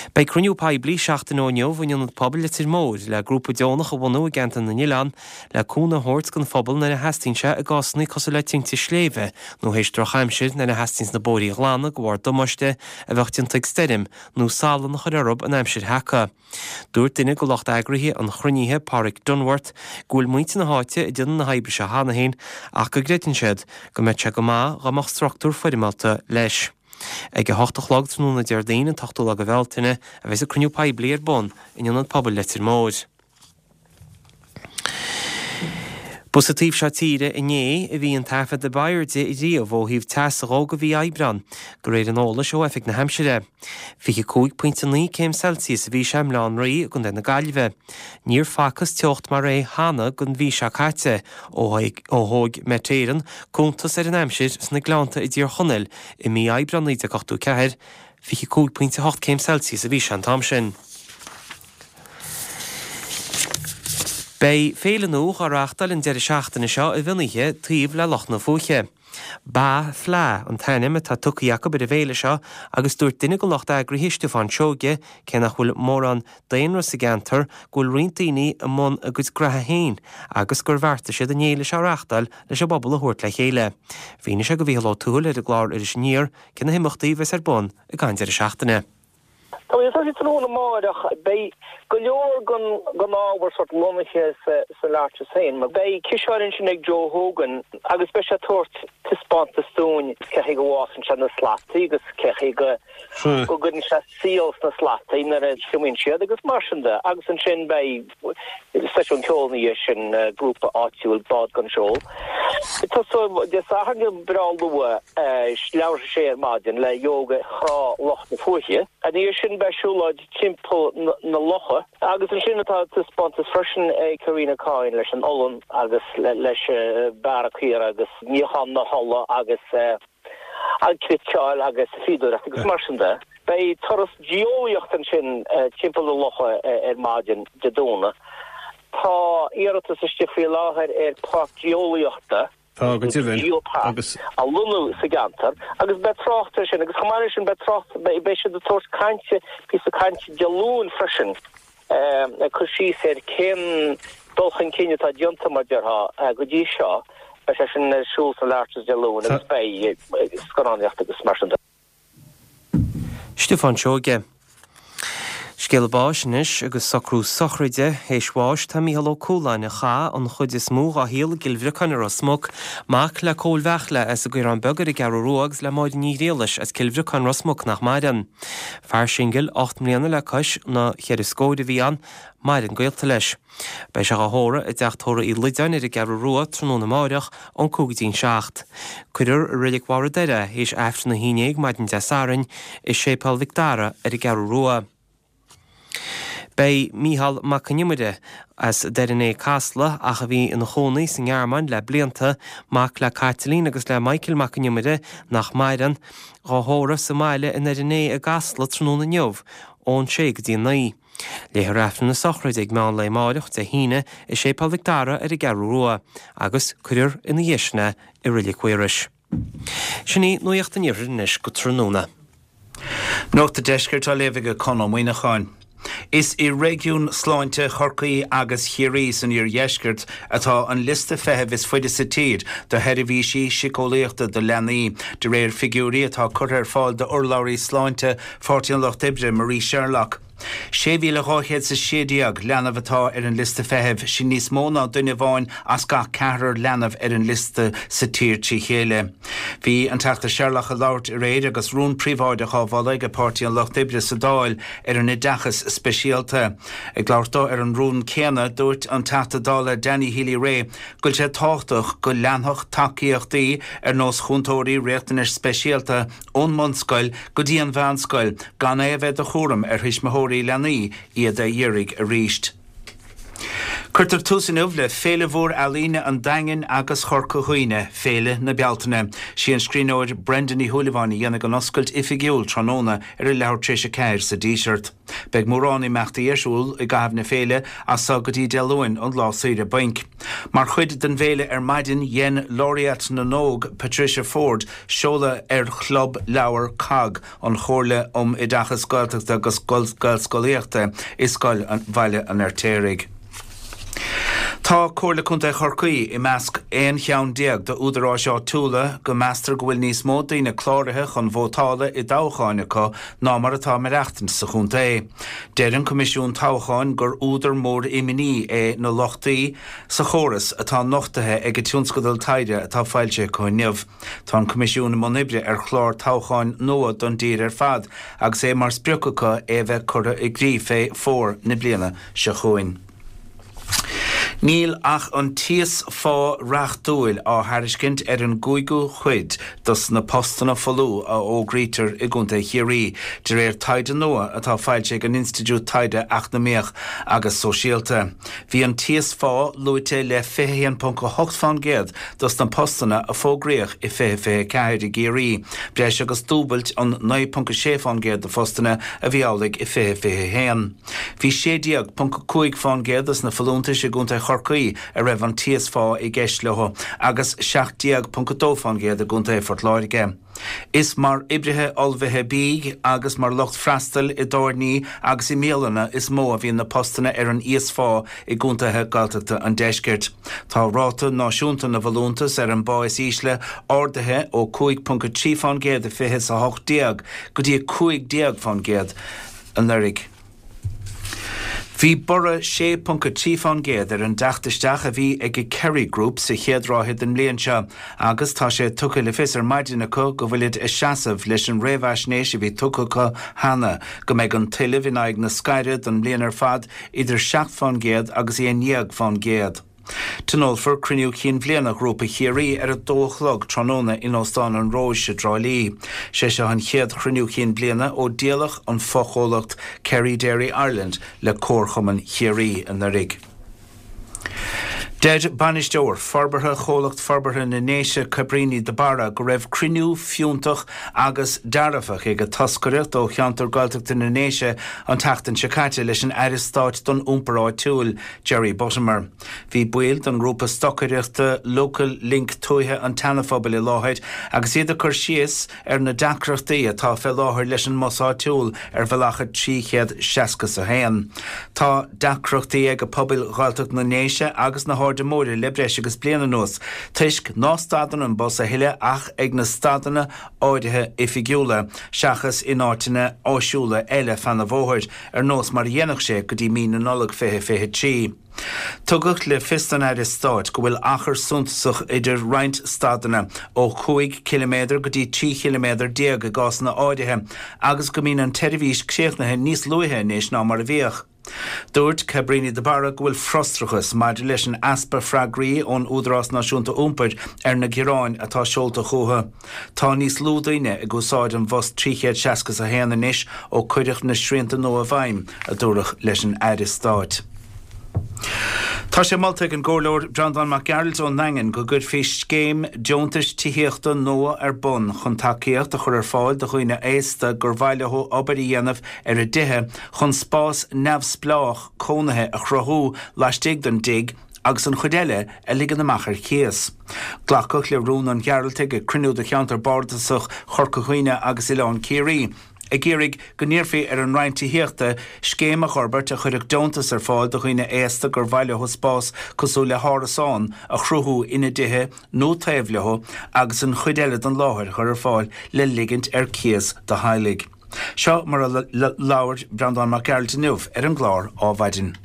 [SPEAKER 7] Beidh cruinniú poiblí seachtain ó inniu in Ionad Pobail Leitir Móir le grúpa deonach a bhunú i gceantar na nOileán le cúnamh a thabhairt don phobal nuair a theastaíonn sé i gcásanna cosúil le tinte sléibhe nó théis drochaimsir nuair a theastaíonns na bóithrí a ghlanadh de bharr damáiste a bheadh déanta ag stoirm nó salann a chur orthu an aimsir sheaca. Dúirt duine de lucht eagraithe an chruinnithe, Páraic Dunworth, go bhfuil muintir na háite ag déanamh na hoibre seo cheana féin ach go gcreideann siad go mbeadh sé go maith dá mbeadh struchtúr foirmeálta leis. Ag a hocht a chlog tráthnóna Déardaoin, an t-ochtú lá de Bhealtaine, a bheas an cruinniú poiblí ar bun in Ionad Pobail Leitir Móir. Ba sa taobh seo tíre inné a bhí an taifead ab airde riamh ó thaobh teas a dhó do mhí Aibreán, de réir an eolais ó Oifig na hAimsire. Fiche cúig pointe naoi céim Celsius a bhí sé i mBaile Átha an Rí i gContae na Gaillimhe. Níor facthas teocht mar é cheana don mhí seo caite ó thóg Met Éireann cuntas ar an aimsir sna Gleannta i dTír Chonaill i mí Aibreán naoi déag ochtó ceathair, fiche cúig pointe a hocht céim Celsius a bhí sé an t-am sin. Beidh féile nua á reáchtáil an deireadh seachtaine seo i bhFionnaithe taobh le Loch na Fúiche. Ba Fleadh an t-ainm atá tugtha acu ar an bhféile seo agus dúirt duine den lucht eagraithe Stiofán Seoige, cé nach bhfuil mórán daonra sa gceantar, go bhfuil roinnt daoine i mbun a gcuid graithe féin agus gur bheartaigh siad an fhéile seo a reáchtáil leis an bpobal a thabhairt le chéile. Mhínigh sé do Mhícheál Ó Tuathail ar an gclár Iris Aniar cé na himeachtaí a bheas ar bun ag an deireadh seachtaine.
[SPEAKER 9] Tá mé ag tosaí tráthnóna amárach. Beidh go leor den ábhar sort lonnaithe sa Larches féin. Beidh ciseán ansin ag Joe Hogan agus beidh sé ag tabhairt taispeántas dúinn cé chaoi go bhfásann sé na slataí agus cé chaoi go go gcuireann sé síol sna slataí nuair a thriomaíonn siad agus mar sin de. Agus ansin beidh seisiún ceoil ina dhiaidh sin, grúpa áitiúil Bád Gan Seol. Tosóidh Dé Sathairn breá luath, leathuair tar éis a sé ar maidin le Yoga Thrá Loch na Fúiche. Ina dhiaidh sin beidh siúlóid timpeall na locha agus ansin tá taispeántas freisin ag Karina Coyne leis an olann agus leis bearradh caora agus níochán na hola agus an cniotáil agus fíodóireacht agus mar sin de. Beidh turas geolaíochta ansin timpeall na locha ar maidin Dé Domhnaigh. Tá iarratas istigh faoi láthair ar pháirc geolaíochta.
[SPEAKER 10] Tá, go deimhin.
[SPEAKER 9] Geopark
[SPEAKER 10] Agus.
[SPEAKER 9] a lonnú sa gceantar agus beidh trácht air sin agus chomh maith leis sin beidh trácht, beidh siad ag tabhairt cainte, píosa cainte Dé Luain freisin ag cur síos ar cén dul chun cinn atá déanta mar déarfá go dtí seo. Beidh sé sin ar siúl san Arches Dé Luain agus beidh scannánaíocht agus mar sin de.
[SPEAKER 7] Stiofán Seoige. Scéala báis anois agus socrú sochraide théis bháis tá Mícheál Ó Cualáin a chaith an chuid is mó dhá shaol i gCill Bhriocáin i Ros Muc, mac le Cóil Bheartla as an gCaorán Beag ar an gCeathrú Rua agus le Máire Ní Ghriallais as Cill Bhriocáin Ros Muc nach maireann. Fear singil ocht mbliana le cois na cheithre scóir a bhí ann, maireann gaolta leis. Beidh sé dhá thórramh i dteach tórraimh Uí Loideáin ar an gCeathrú Rua tráthnóna amáireach ón cúig go dtí'n seacht. Cuirfear i Reilig Bharr an Doire é théis Aifreann a haon déag maidin Dé Sathairn i Séipéal Mhic Dara ar an gCeathrú Rua. Beidh Mícheál Mac Con Iomaire, as Doire an Fhéich Casla ach a bhí ina chónaí sa nGearmáin le blianta, mac le Caitlín agus le Michael Mac Con Iomaire, nach maireann, dhá thórramh sa mbaile i nDoire an Fhéich i gCasla tráthnóna inniu ón sé go dtí a naoi. Léifear Aifreann na sochraide ag meán lae amáireach, Dé hAoine, i Séipéal Mhic Dara ar an gCeathrú Rua agus cuirfear ina dhiaidh sin é i Reilig Mhaorais. Sin í Nuacht an Iarthair anois go tráthnóna.
[SPEAKER 11] Nuacht an Deiscirt á léamh ag Conn Ó Muíneacháin. Is i réigiún sláinte Chorcaí agus Chiarraí san iardheisceart atá an liosta feithimh is faide sa tír do sheirbhísí síceolaíochta do leanaí, de réir figiúirí atá curtha ar fáil d'urlabhraí sláinte Pháirtí an Lucht Oibre, Marie Sherlock. Sé mhíle dhá chéad is a sé déag leanbh atá ar an liosta feithimh, sin níos mó ná duine amháin as gach ceathrar leanbh ar an liosta sa tír trí chéile. Bhí an Teachta Sherlock ag labhairt aréir agus rún príobháideach á mholadh ag Páirtí an Lucht Oibre sa Dáil ar an oideachas speisialta. Ag labhairt dó ar an rún céanna, dúirt an Teachta Dála Danny Healy-Rae go bhfuil sé tábhachtach go leanfadh tacaíochtaí ar nós chúntóirí riachtanais speisialta ón mbunscoil go dtí an mheánscoil gan é a bheith de chúram ar thuismitheoirí leanaí iad a iarraidh arís. Cuirtear tús inniu le Féile Mhór Ealaíne an Daingin agus Chorca Dhuibhne, Féile na Bealtaine. Sí an scríbhneoir Brenda Ní Shúilleabháin a dhéanfaidh an oscailt oifigiúil tráthnóna ar a leathuair tar éis a ceathair sa Díseart. Beidh mórán imeachtaí ar siúl i gcaitheamh na féile as so go dtí Dé Luain, an lá saoire bainc. Mar chuid den bhféile ar maidin, dhein Laureate na nÓg, Patricia Forde, seoladh ar Chlub Leabhar cogg, an Chomhairle um Oideachas Gaeltachta agus Gaelscolaíochta, i Scoil Bhaile an Fheirtéaraigh. Tá Comhairle Contae Chorcaí i measc aon cheann déag d'údaráis áitiúla go meastar go bhfuil níos mó daoine cláraithe chun vótála i dtoghcháin acu ná mar atá ag maireachtaint sa chontae. Deir an Coimisiún Toghcháin gur údar mór imní é na lochtaí sa chóras atá nochtaithe ag a tionscadal taighde atá foilsithe acu inniu. Tá an Coimisiún i mbun oibre ar chlár toghcháin nua don dtír ar fad agus é mar sprioc acu é a bheith curtha i gcrích fé fómhar na bliana seo chugainn. Níl ach an t-íos-phá reachtúil á thairiscint ar an gcúigiú cuid dos na postanna folmha a fhógraítear i gContae Chiarraí, de réir taighde nua atá foilsithe ag an Institiúid Taighde Eacnamaíoch agus Sóisialta. Bhí an t-íos-phá luaite le fiche a haon ponc a hocht fán gcéad dos na postanna a fógraíodh i fiche fiche a ceathair i gCiarraí, breis agus dúbailt an naoi ponc a sé fán gcéad de phostanna a bhí amhlaidh i fiche fiche a haon. Bhí sé déag ponc a cúig fán gcéad dos na folúntais i gContae Chorcaí a raibh an t-íosphá i gceist leo agus seacht déag ponc a dó fán gcéad i gContae Phort Láirge. Is mar oibrithe ullmhaithe bídh agus mar lucht freastail i dtábhairní agus i mbialanna is mó a bhíonn na postanna ar an íosphá i gcontaetha Gaeltachta an deiscirt. Tá ráta náisiúnta na bhfolúntas ar an bpá is ísle ardaithe ó cúig ponc a trí fán gcéad i fiche is a hocht déag go dtí a cúig déag fán gcéad anuraidh. Bhí borradh sé ponc a trí fán gcéad ar an dteacht isteach a bhí ag Kerry Group sa chéad ráithe den mbliain seo agus tá sé tugtha le fios ar maidin acu go bhfuilid ag seasamh leis an réamhaisnéis a bhí tugtha acu cheana go mbeidh an tuilleamh in aghaidh na scaire don mbliain ar fad idir seacht fán gcéad agus aon dhéag fán gcéad. Tionólfar cruinniú cinn bhliana Ghrúpa Chiarraí ar a dó a chlog tráthnóna in Óstán an Róis i dTrá Lí. Sé seo an chéad chruinniú cinn bliana ó díoladh an fochomhlacht Kerry Dairy Ireland le Comharchumann Chiarraí anuraidh. Deir bainisteoir forbartha Chomhlacht Forbartha na nDéise Cabríní de Barra go raibh cruinniú fiúntach agus dearfach ag an toscaireacht ó cheantar Gaeltachta na nDéise an tseachtain seo caite leis an Aire Stáit don Iompar Áitiúil, Jerry Buttimer. Bhí baill den ngrúpa stocaireachta Local Link Tuaithe an tSeanaphobail i láthair agus iad ag cur síos ar na deacrachtaí atá fé láthair leis an mbus áitiúil ar bhealach a trí chéad seasca is a haon. Tá deacrachtaí ag pobail Ghaeltacht na nDéise agus na hAirde Móire le breis agus bliain anuas toisc ná stadann an bus a thuilleadh ach ag na stadanna áirithe oifigiúla seachas in áiteanna áisiúla eile feadh an bhóthair, ar nós mar a dhéanadh sé go dtí mí na Nollag fiche fiche trí. Tugadh le fios don Aire Stáit go bhfuil achar suntasach idir roinnt stadanna, ó chúig chiliméadar go dtí trí chiliméadar déag i gcásanna áirithe, agus go mbíonn an tseirbhís críochnaithe níos luaithe anois ná mar a bhíodh. Dúirt Cabríní de Barra go bhfuil frustrachas maidir leis an easpa freagraí ón Údarás Náisiúnta Iompair ar na gearáin atá seolta chucu. Tá níos lú daoine ag úsáid an bhus trí chéad seasca is a haon anois ó cuireadh na srianta nua i bhfeidhm, a dúradh leis an Aire Stáit. Tá sé molta ag an gComhairleoir Breandán Mac Gearailt ón nDaingean go gcuirfí scéim deontais tithíochta nua ar bun chun tacaíocht a chur ar fáil do dhaoine aosta gur mhaith leo obair a dhéanamh ar a dtithe chun spás neamhspleách cónaithe a chruthú laistigh den dtigh agus an chuid eile a ligean amach ar cíos. Glacadh le rún an Ghearaltaigh ag cruinniú de cheantar bardasach Chorca Dhuibhne agus Oileán Ciarraí, ag iarraidh go n-iarrfaí ar an Roinn Tithíochta scéim a fhorbairt a chuirfeadh deontas ar fáil do dhaoine aosta gur mhaith leo spás cosúil le hárasán a chruthú ina dtithe nó taobh leo agus an chuid eile den láthair a chur ar fáil le ligint ar cíos do theaghlaigh. Seo mar a labhair Breandán Mac Gearailt inniu ar an gclár Ádhmhaidin.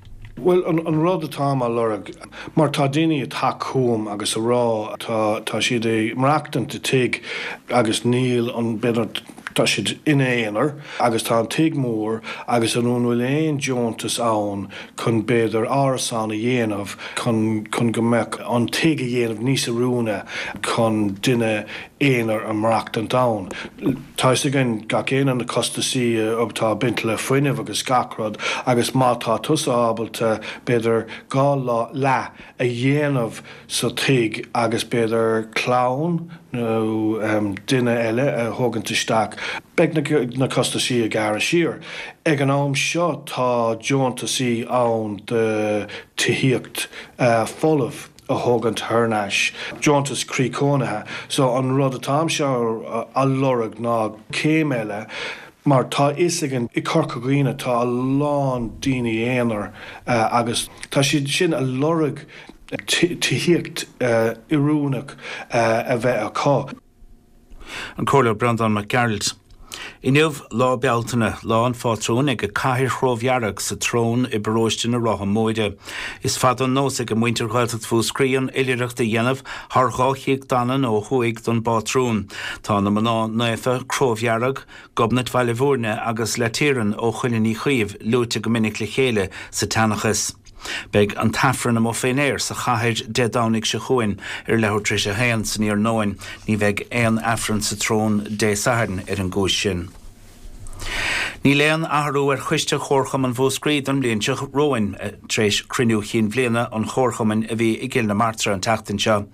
[SPEAKER 10] Bhuel, an rud atáim á lorg, mar tá daoine ag teacht chugam agus a rá, tá, tá siad ag maireachtaint i tigh agus níl an, b'fhéidir, tá siad ina aonar agus tá an tigh mór agus an bhfuil aon deontas ann chun b'fhéidir árasán a dhéanamh chun, chun go mbeadh an tigh a dhéanamh níos oiriúna chun duine aonair a maireachtaint ann. Tá fhios againn gach aon na costasaí atá ag baint le fuinneamh agus gach rud agus má tá tusa ábalta b'fhéidir dhá leath a dhéanamh sa tigh agus b'fhéidir clann nó duine eile a thógaint isteach, beidh na costasaí ag gearradh siar. Ag an am seo tá deontasaí ann do tithíocht folamh. a thógaint thar n-ais, deontas croí cónaithe. So an rud atáimse á lorg ná céim eile mar tá fhios againn i Corca Dhuibhne tá a lán daoine aonair agus tá siad sin a lorg tithíocht oiriúnach a bheith acu.
[SPEAKER 11] An Comhairleoir Breandán Mac Gearailt. Inniu, Lá Bealtaine, Lá an Phátrúin ag an Cathaoir Chrobhdhearg sa tSrón i bparóiste na Rátha Móire. Is fada an nós ag muintir Ghaeltacht Mhúscraí an oilithreacht a dhéanamh thar dhá chíoch Danann ó thuaidh don bpátrún. Tá na mná naofa Crobhdhearg, Gobnait Bhaile Bhúirne agus Laitiaran ó Chuilinn Uí Chaoimh luaite go minic le chéile sa tseanchas. Beidh an tAifreann amuigh fén aer sa chathair Dé Domhnaigh seo chugainn ar leathuair tar éis a haon san iarnóin. Ní bheidh aon Aifreann sa tSrón Dé Sathairn ar an gcúis sin. Níl aon athrú ar choiste Chomharchumann Mhúscraí don bhliain seo romhainn tar éis cruinniú chinn bhliana an Chomharchumainn a bhí i gCill na Martra an tseachtain seo.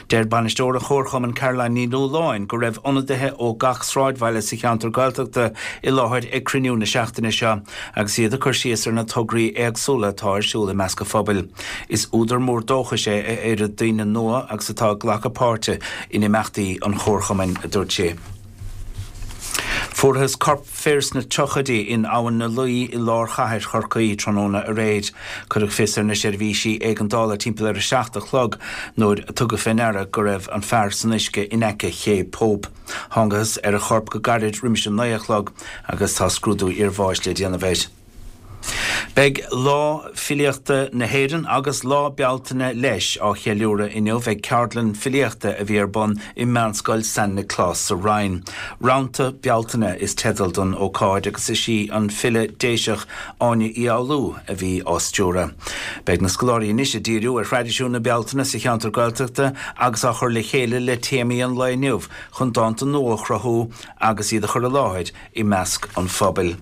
[SPEAKER 11] Deir bainisteoir an Chomharchumainn Caroline Ní Nualláin go raibh ionadaithe ó gach sráidbhaile sa cheantar Gaeltachta i láthair ag cruinniú na seachtaine seo agus iad ag cur síos ar na tograí éagsúla atá ar siúl i measc an phobail. Is údar mór dóchais é a oiread daoine nua agus atá ag glacadh páirte in imeachtaí an Chomharchumainn, a dúirt sí. Fuarthas corp fir sna tríochaidí in Abhainn na Laoi i lár chathair Chorcaí tráthnóna aréir. Cuireadh fios ar na seirbhísí éigeandála timpeall ar a seacht a chlog nuair a tugadh fé ndeara go raibh an fear san uisce in aice Ché Pope. Thángthas ar a chorp go gairid roimis an naoi a chlog agus tá scrúdú iarbháis le déanamh air. Beidh Lá Filíochta na hÉireann agus Lá Bealtaine leis á cheiliúradh inniu ag ceardlann filíochta a bhí ar bun i Meánscoil San Nioclás sa Rinn. Rannta Bealtaine is teideal don ócáid agus is í an file Déiseach Áine Uí Fhoghlú a bhí á stiúradh. Beidh na scoláirí anois ag díriú ar thraidisiún na Bealtaine sa cheantar Gaeltachta agus á chur le chéile le téamaí an lae inniu chun dánta nua a chruthú agus iad a chur i láthair i measc an phobail.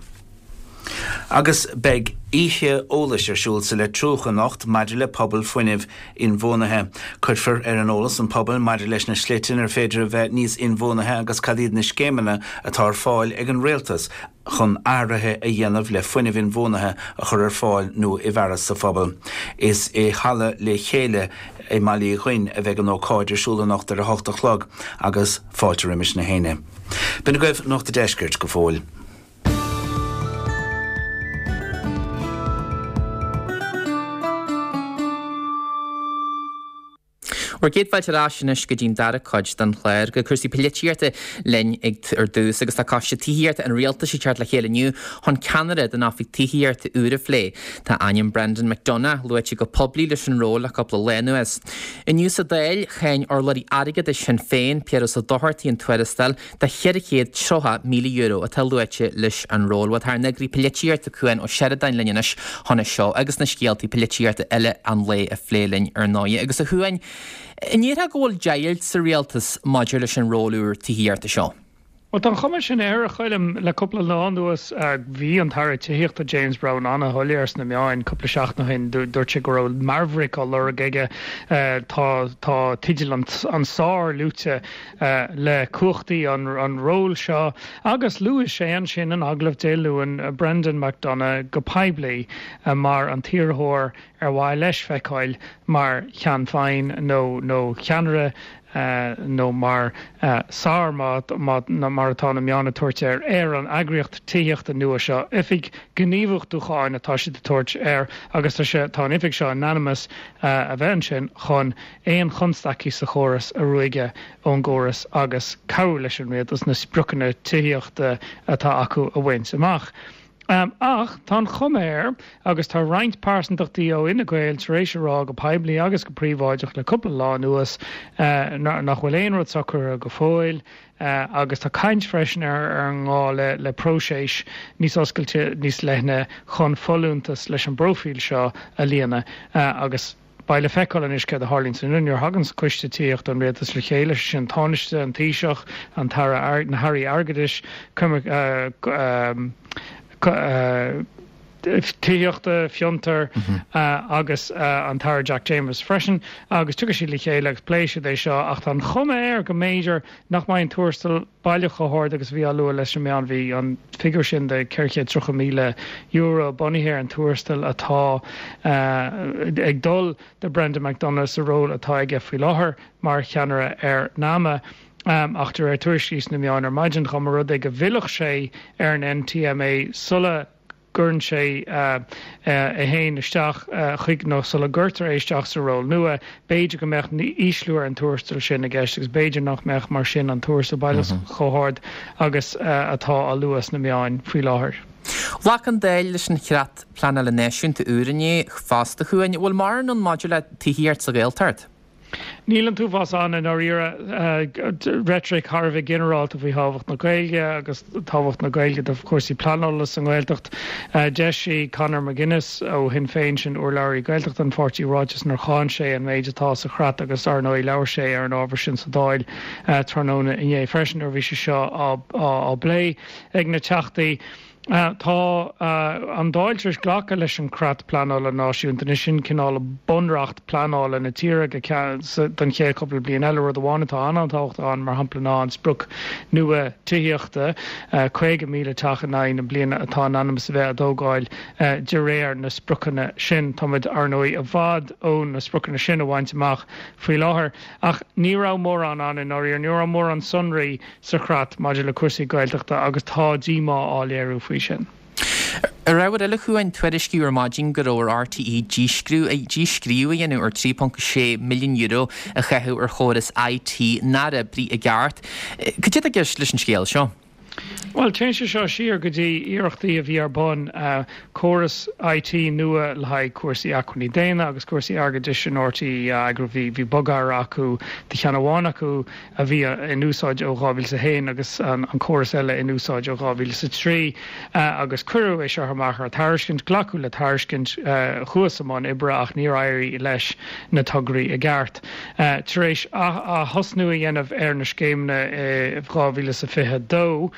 [SPEAKER 11] Agus beidh oíche eolais ar siúl sa Leitriúch anocht maidir le pobal fuinnimh inbhuanaithe. Cuirfear ar an eolas an pobal maidir leis na slite inar féidir a bheith níos inbhuanaithe agus cad iad na scéimeanna atá ar fáil ag an rialtas chun athruithe a dhéanamh le fuinneamh inbhuanaithe a chur ar fáil nó i bhfearas sa phobal. Is i Halla Le Chéile i mBaile Uí Dhuinn a bheidh an ócáid ar siúl anocht ar a hocht a chlog agus fáilte roimis na héinne. B'in agaibh Nuacht an Deiscirt go fóill.
[SPEAKER 1] Bhur gcéad fáilte ar ais anois go dtí'n dara cuid den chlár, go cúrsaí polaitíochta linn ag ar dtús agus tá Coiste Tithíochta an Rialtais ag teacht le chéile inniu chun ceannaire don Oifig Tithíochta úr a phlé. Tá ainm Brendan McDonagh luaite go poiblí leis an ról le cúpla lá anuas. Inniu sa Dáil, cháin urlabhraí airgeadais Shinn Féin, Piaras Ó Dochartaigh an tuarastal de cheithre chéad tríocha míle euro atá luaite leis an ról. Bhuel tá ár n-eagraí polaitíochta Cuan Ó Seireadáin linn anois chun é seo agus na scéaltaí polaitíochta eile an lae a phlé linn ar ndóigh. Agus a Chuain, an ndéarfá go bhfuil deighilt sa rialtas maidir leis an ról úr tithíochta seo?
[SPEAKER 12] Well tá an chuma sin air a Choilm le cúpla lá anuas bhí an tAire Tithíochta James Browne an-shoiléir sna meáin cúpla seachtain ó shin dúirt sé go raibh maverick á lorg aige tá tá teideal an, an sár luaite le cumhachtaí an, an ról seo agus luaigh sé ansin in agallamh Dé Luain Brendan McDonagh go poiblí mar an t-iarrthóir ar mhaith leis feiceáil mar cheann feadhna nó nó ceannaire nó mar sár mar atá na meáin ag tabhairt air ar an eagraíocht tithíochta nua seo oifig gníomhachtúcháin atá siad ag tabhairt air agus tá sé tá an oifig seo in ainm is a bheith ansin chun aon chonstaicí sa chóras a ruaigeadh ón gcóras agus cabhrú leis an rialtas na spriocanna tithíochta atá acu a bhaint amach. Um, ach tá an chuma air agus tá roinnt pearsantachtaí ó Fhine Gael tar éis a rá go poiblí agus go príobháideach le cúpla lá anuas uh, nach bhfuil aon rud socraithe go fóill. Uh, agus tá caint freisin ar ar an ngá le le próiseas níos oscailte níos leithne chun folúntas leis an bpróifíl seo a líonadh uh, agus Beidh le feiceáil anois céard a tharlaíonn san nuair a thagann coiste tithíochta an rialtas le chéile sin Tánaiste an Taoiseach an tAire na hAirí Airgeadais um, tithíochta fiontar agus an tAire Jack Chambers freisin agus tiocfaidh siad le chéile agus pléifidh siad é seo ach tá an chuma air go mb'fhéidir nach mbeidh an tuarastal baileach chomh hard agus bhí á lua leis na meáin bhí an figiúr sin de ceithre chéad tríocha míle euro bunaithe ar an tuarastal atá ag dul do Brendan McDonagh sa ról atá aige faoi láthair mar cheannaire ar NAMA. Um, ach de réir tuairiscí sna meáin ar maidin dá mba rud é go bhfillfeadh sé ar an NTMA sula gcuireann sé uh, uh, é féin isteach uh, chuig nó sula gcuirtear é isteach sa ról nua, b'fhéidir go mbeadh ísliú ar an tuarastal sin i gceist agus b'fhéidir nach mbeadh mar sin an tuarastal baileach mm -hmm. chomh hard agus uh, atá á lua sna meáin faoi láthair.
[SPEAKER 1] Ghlac an Dáil leis an chreat pleanála náisiúnta úr inné fosta a Chuain, bhfuil mórán ann maidir le tithíocht sa Ghaeltacht.
[SPEAKER 12] Níl an t-uafás ann i ndáiríre reitric thar a bheith ginearálta faoi thábhacht na Gaeilge agus tábhacht na Gaeilge do chúrsaí pleanála sa nGaeltacht. D'eisigh Conor McGuinness ó Shinn Féin sin urlabhraí Gaeltachta an pháirtí ráiteas inar cháin sé an méid atá sa chreat agus ar ndóigh labhair sé ar an ábhar sin sa Dáil tráthnóna inné freisin nuair a bhí sé seo á phlé ag na teachtaí. Tá an Dáil tar éis glacadh leis an Creat Pleanála Náisiúnta, anois sin cineál bunreacht pleanála na tíre go ceann don chéad cúpla bliain eile. Rud amháin atá an-tábhachtach ann, mar shampla, ná an sprioc nua tithíochta, caoga míle teach in aghaidh na bliana atá in ainm is a bheith á dtógáil de réir na spriocanna sin. Táimid, ar ndóigh, i bhfad ó na spriocanna sin a bhaint amach faoi láthair. Ach ní raibh mórán ann i ndáiríre, ní raibh mórán sonraí sa chreat maidir le cúrsaí Gaeltachta agus tá díomá á léiriú faoi sin.
[SPEAKER 1] Ar ábhar eile, a Chuain, tuairiscíodh ar maidin go raibh ar RTÉ díscríobh a dhéanamh ar trí ponc sé milliún euro a caitheadh ar chóras IT nár oibrigh i gceart. Cad é atá i gceist leis an scéal seo?
[SPEAKER 12] Bhuel, téann sé seo siar go dtí iarrachtaí a bhí ar bun córas IT nua le haghaidh cúrsaí acmhainní daonna agus cúrsaí airgeadais in RTÉ a eagrú. Bhí bhí bogearra acu do cheann amháin acu a bhí in úsáid ó dhá mhíle is a haon agus an córas eile in úsáid ó dhá mhíle is a trí agus cuireadh é seo amach ar tairiscint, glacadh le tairiscint, chuathas i mbun oibre ach níor éirigh leis na tograí i gceart. Tar éis athosnú a dhéanamh ar na scéimeanna i dhá mhíle is a fiche a dó,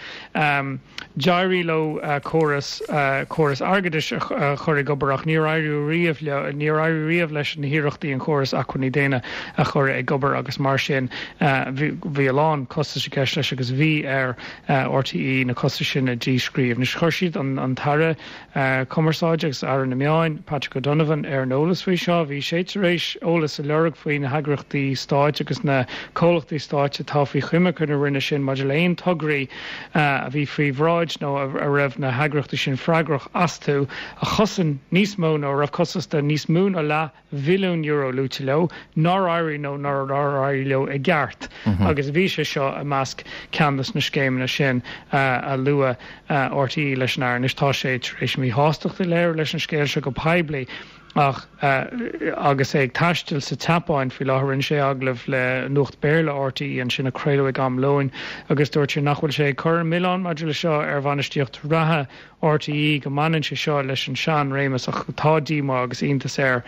[SPEAKER 12] D'éirigh leo córas córas airgeadais a chur ag obair ach níor éirigh riamh leo, níor éirigh riamh leis na hiarrachtaí an córas acmhainní daonna a chur ag obair agus mar sin bhí bhí a lán costais i gceist leis agus bhí ar RTÉ na costais sin a dhíscríobh. Anois chuir siad an an tAire Cumarsáide agus Aire na Meáin, Patrick O'Donovan, ar an eolas faoi seo. Bhí sé tar éis eolas a lorg faoi na heagraíochtaí stáit agus na comhlachtaí stáit atá faoi choimirce na Roinne sin maidir le haon tograí a bhí faoi bhráid nó a raibh na heagraíochtaí sin freagrach astu a chosain níos mó nó a raibh costas de níos mó ná leath bhilliún euro luaite leo, nár éirigh nó nár éirigh leo i gceart agus bhí sé seo i measc ceann de na scéimeanna sin a luaigh RTÉ leis an Aire. Anois tá sé tar éis míshástacht a léiriú leis an scéal seo go poiblí ach agus é ag taisteal sa tSeapáin faoi láthair rinne sé agallamh le Nuacht Béarla RTÉ ansin a craoladh ag am lóin agus dúirt sé nach bhfuil sé ag cur an milleán maidir le seo ar bhainistíocht reatha RTÉ go mbaineann sé seo leis an sean-réimeas ach tá díomá agus iontas air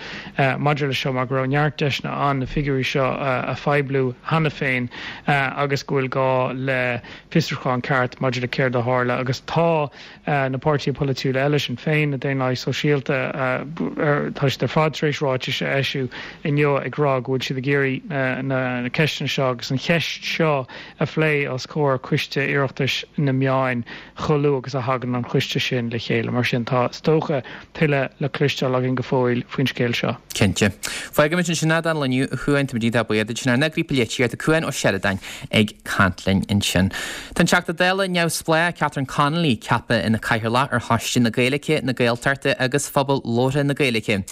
[SPEAKER 12] maidir leis seo mar go raibh neart deiseanna ann na figiúirí seo a phoibliú cheana féin agus go bhfuil gá le fiosrúchán ceart maidir le céard a tharla agus tá na páirtithe polaitiúla eile, Sinn Féin, na Daonlathaigh Sóisialta, tá siad ar fad tar éis ráitis a eisiú inniu ag rá go bhfuil siad ag iarraidh na ceisteanna seo agus an cheist seo a phlé os comhair Coiste Oireachtais na Meáin chomh luath agus a thagann an coiste sin le chéile. Mar sin, tá, is dócha, tuilleadh le cloisteáil againn go fóill faoin scéal seo.
[SPEAKER 1] Cinnte. Fágfaimid ansin é don lá inniu, a Chuain. Táimid iontach buíoch duit. Sin ár n-eagraí polaitíochta, Cuan Ó Seireadáin, ag caint linn ansin. Tá an Teachta Dála neamhspleách Catherine Connolly ceaptha ina Cathaoirleach ar Choiste na Gaeilge, na Gaeltachta agus Phobal Labhartha na Gaeilge.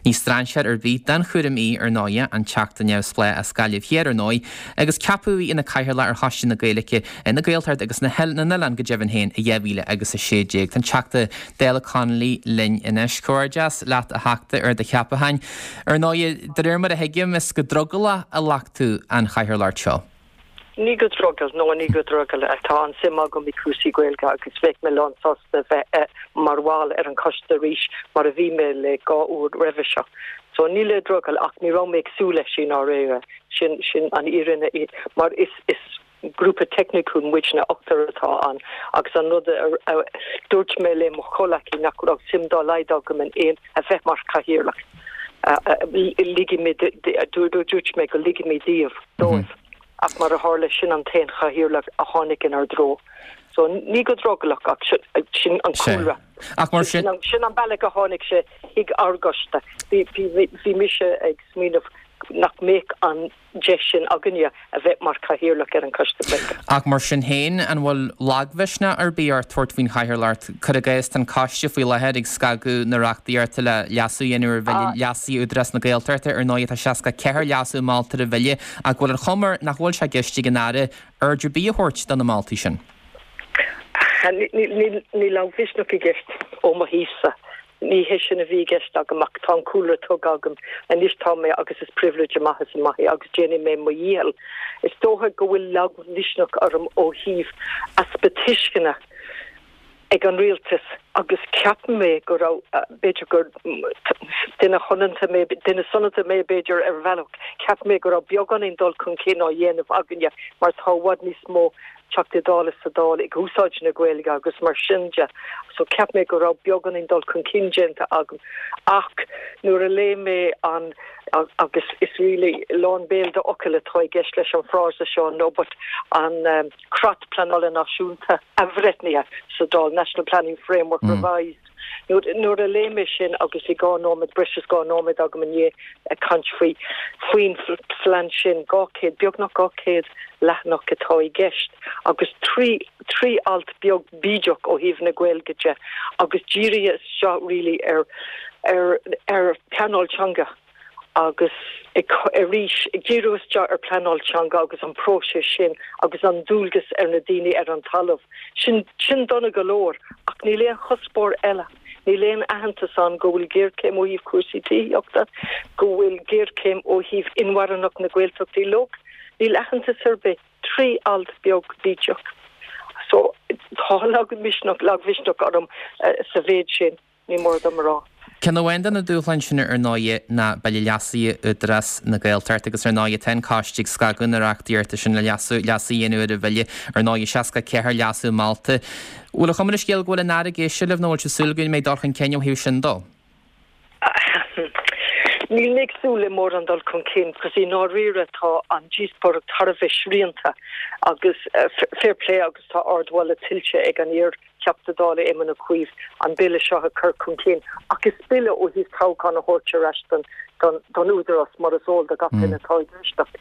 [SPEAKER 1] Ní strainséir ar bith don chúram í, ar ndóigh, an Teachta neamhspleách as Gaillimh Thiar, ar ndóigh, agus ceapadh í ina Cathaoirleach ar Choiste na Gaeilge, na Gaeltachta agus na nOileán go deimhin féin i dhá mhíle agus a sé déag. Tá an Teachta Dála Connolly linn anois. Comhghairdeas leat a Theachta ar do cheapachán. Ar ndóigh, de réir mar a thuigim, is go drogallach a ghlac tú an chathaoirleacht seo.
[SPEAKER 13] Ní go drogall, no ní go drogall. Tá an-suim agam i cúrsaí Gaeilge agus bheadh mé lán sásta bheith mar bhall ar an choiste arís mar a bhí mé le dhá uair roimhe seo. So ní le drogall ach ní raibh mé ag súil leis i ndáiríre. Sin sin an fhírinne mar is is grúpa teicniúil muidne ochtar atá ann agus an rud a dúirt mé le mo chomhleacaí nach raibh suim dá laghad agam in aon a bheith mar chathaoirleach. Ligfidh mé dúirt mé go ligfidh mé díobh dóibh ach mar a tharla sin an t-aon chathaoirleach a tháinig inár dtreo. So ní go drogallach ach sin an cúlra.
[SPEAKER 1] Ach mar sin.
[SPEAKER 13] Sin an bealach a tháinig sé chuig ár gcoiste. Bhí mise ag smaoineamh nach mbeadh an deis sin againne a bheith mar chathaoirleach ar an Choiste Gaeilge.
[SPEAKER 1] Ach mar sin féin, an bhfuil lagmhisneach ar bith ort tabhairt faoin chathaoirleacht? Cuir i gcás, tá an coiste faoi láthair ag scagadh na reachtaíochta le leasú a dhéanamh ar Bhille Leasaithe Údarás na Gaeltachta. Ar ndóigh, tá seasca ceathair leasú molta ar an bhille, ach bhfuil an chuma air nach bhfuil sé i gceist ag an Aire aird ar bith a thabhairt do na moltaí sin?
[SPEAKER 13] Níl lagmhisneach i gceist ó mo thaobhsa. Ní hé sin a bhí i gceist agam ach tá an cúlra tugtha agam. Anois tá mé agus is pribhléid amach is amach é agus déanfaidh mé mo dhícheall. Is dócha go bhfuil lagmhisneach orm ó thaobh easpa tuisceana ag an rialtas agus ceapann mé go raibh, b'fhéidir gur duine shoineanta mé, duine soineanta mé b'fhéidir ar bhealach, ceapann mé go raibh beagáinín dul chun cinn á dhéanamh againne mar tá i bhfad níos mó Teachtaí Dála sa Dáil ag úsáid na Gaeilge agus mar sin de. So cheap mé go raibh beagáinín dul chun cinn déanta agam. Ach nuair a léigh mé an agus is really lán béil d'fhocail atá i gceist leis an frása seo no but an um, Creat Pleanála Náisiúnta athbhreithnithe sa Dáil National Planning Framework mm. Revised. Nuair a léigh mé sin agus bhí dhá nóiméad breis is dhá nóiméad agam inné ag caint faoi faoin phlean sin dhá chéad beagnach dhá chéad leathanach atá i gceist agus trí trí alt beag bídeach ó thaobh na Gaeilge de agus dírithe seo really ar ar ar pleanáil teanga agus arís ag díriú isteach ar pleanáil teanga agus an próiseas sin agus an dualgas ar na daoine ar an talamh. Sin sin dona go leor ach níl aon chuspóir eile. Níl aon aitheantas ann go bhfuil géarchéim ó thaobh cúrsaí tithíochta, go bhfuil géarchéim ó thaobh inmharthanacht na Gaeltachtaí uilig, níl aitheantas ar bith trí alt beag bídeach. So tá lagmhisneach lagmhisneach orm uh, sa mhéid sin ní mór dom a rá.
[SPEAKER 1] Ceann amháin de na dúshláin sin ar ndóigh ná Bille Leasaithe Údarás na Gaeltachta agus ar ndóigh tá an coiste ag scagadh na reachtaíochta sin le leasú leasú a dhéanamh ar an bhille ar ndóigh seasca ceathair leasú molta. Bhfuil an chuma ar an scéal go bhfuil an Aire ag éisteacht libh nó bhfuil súil go mbeidh dul chun cinn ó thaobh sin dó?
[SPEAKER 13] Níl mé ag súil le mórán dul chun cinn, cos i ndáiríre tá an díospóireacht thar a bheith srianta agus uh, fair play agus tá ardmholadh tuillte ag an iar Teachta Dála Éamon Ó Cuív an bille seo a chur chun cinn ach is bille ó thaobh toghchán a thabhairt ar ais don don don údarás mar is eol do gach duine atá ag éisteacht.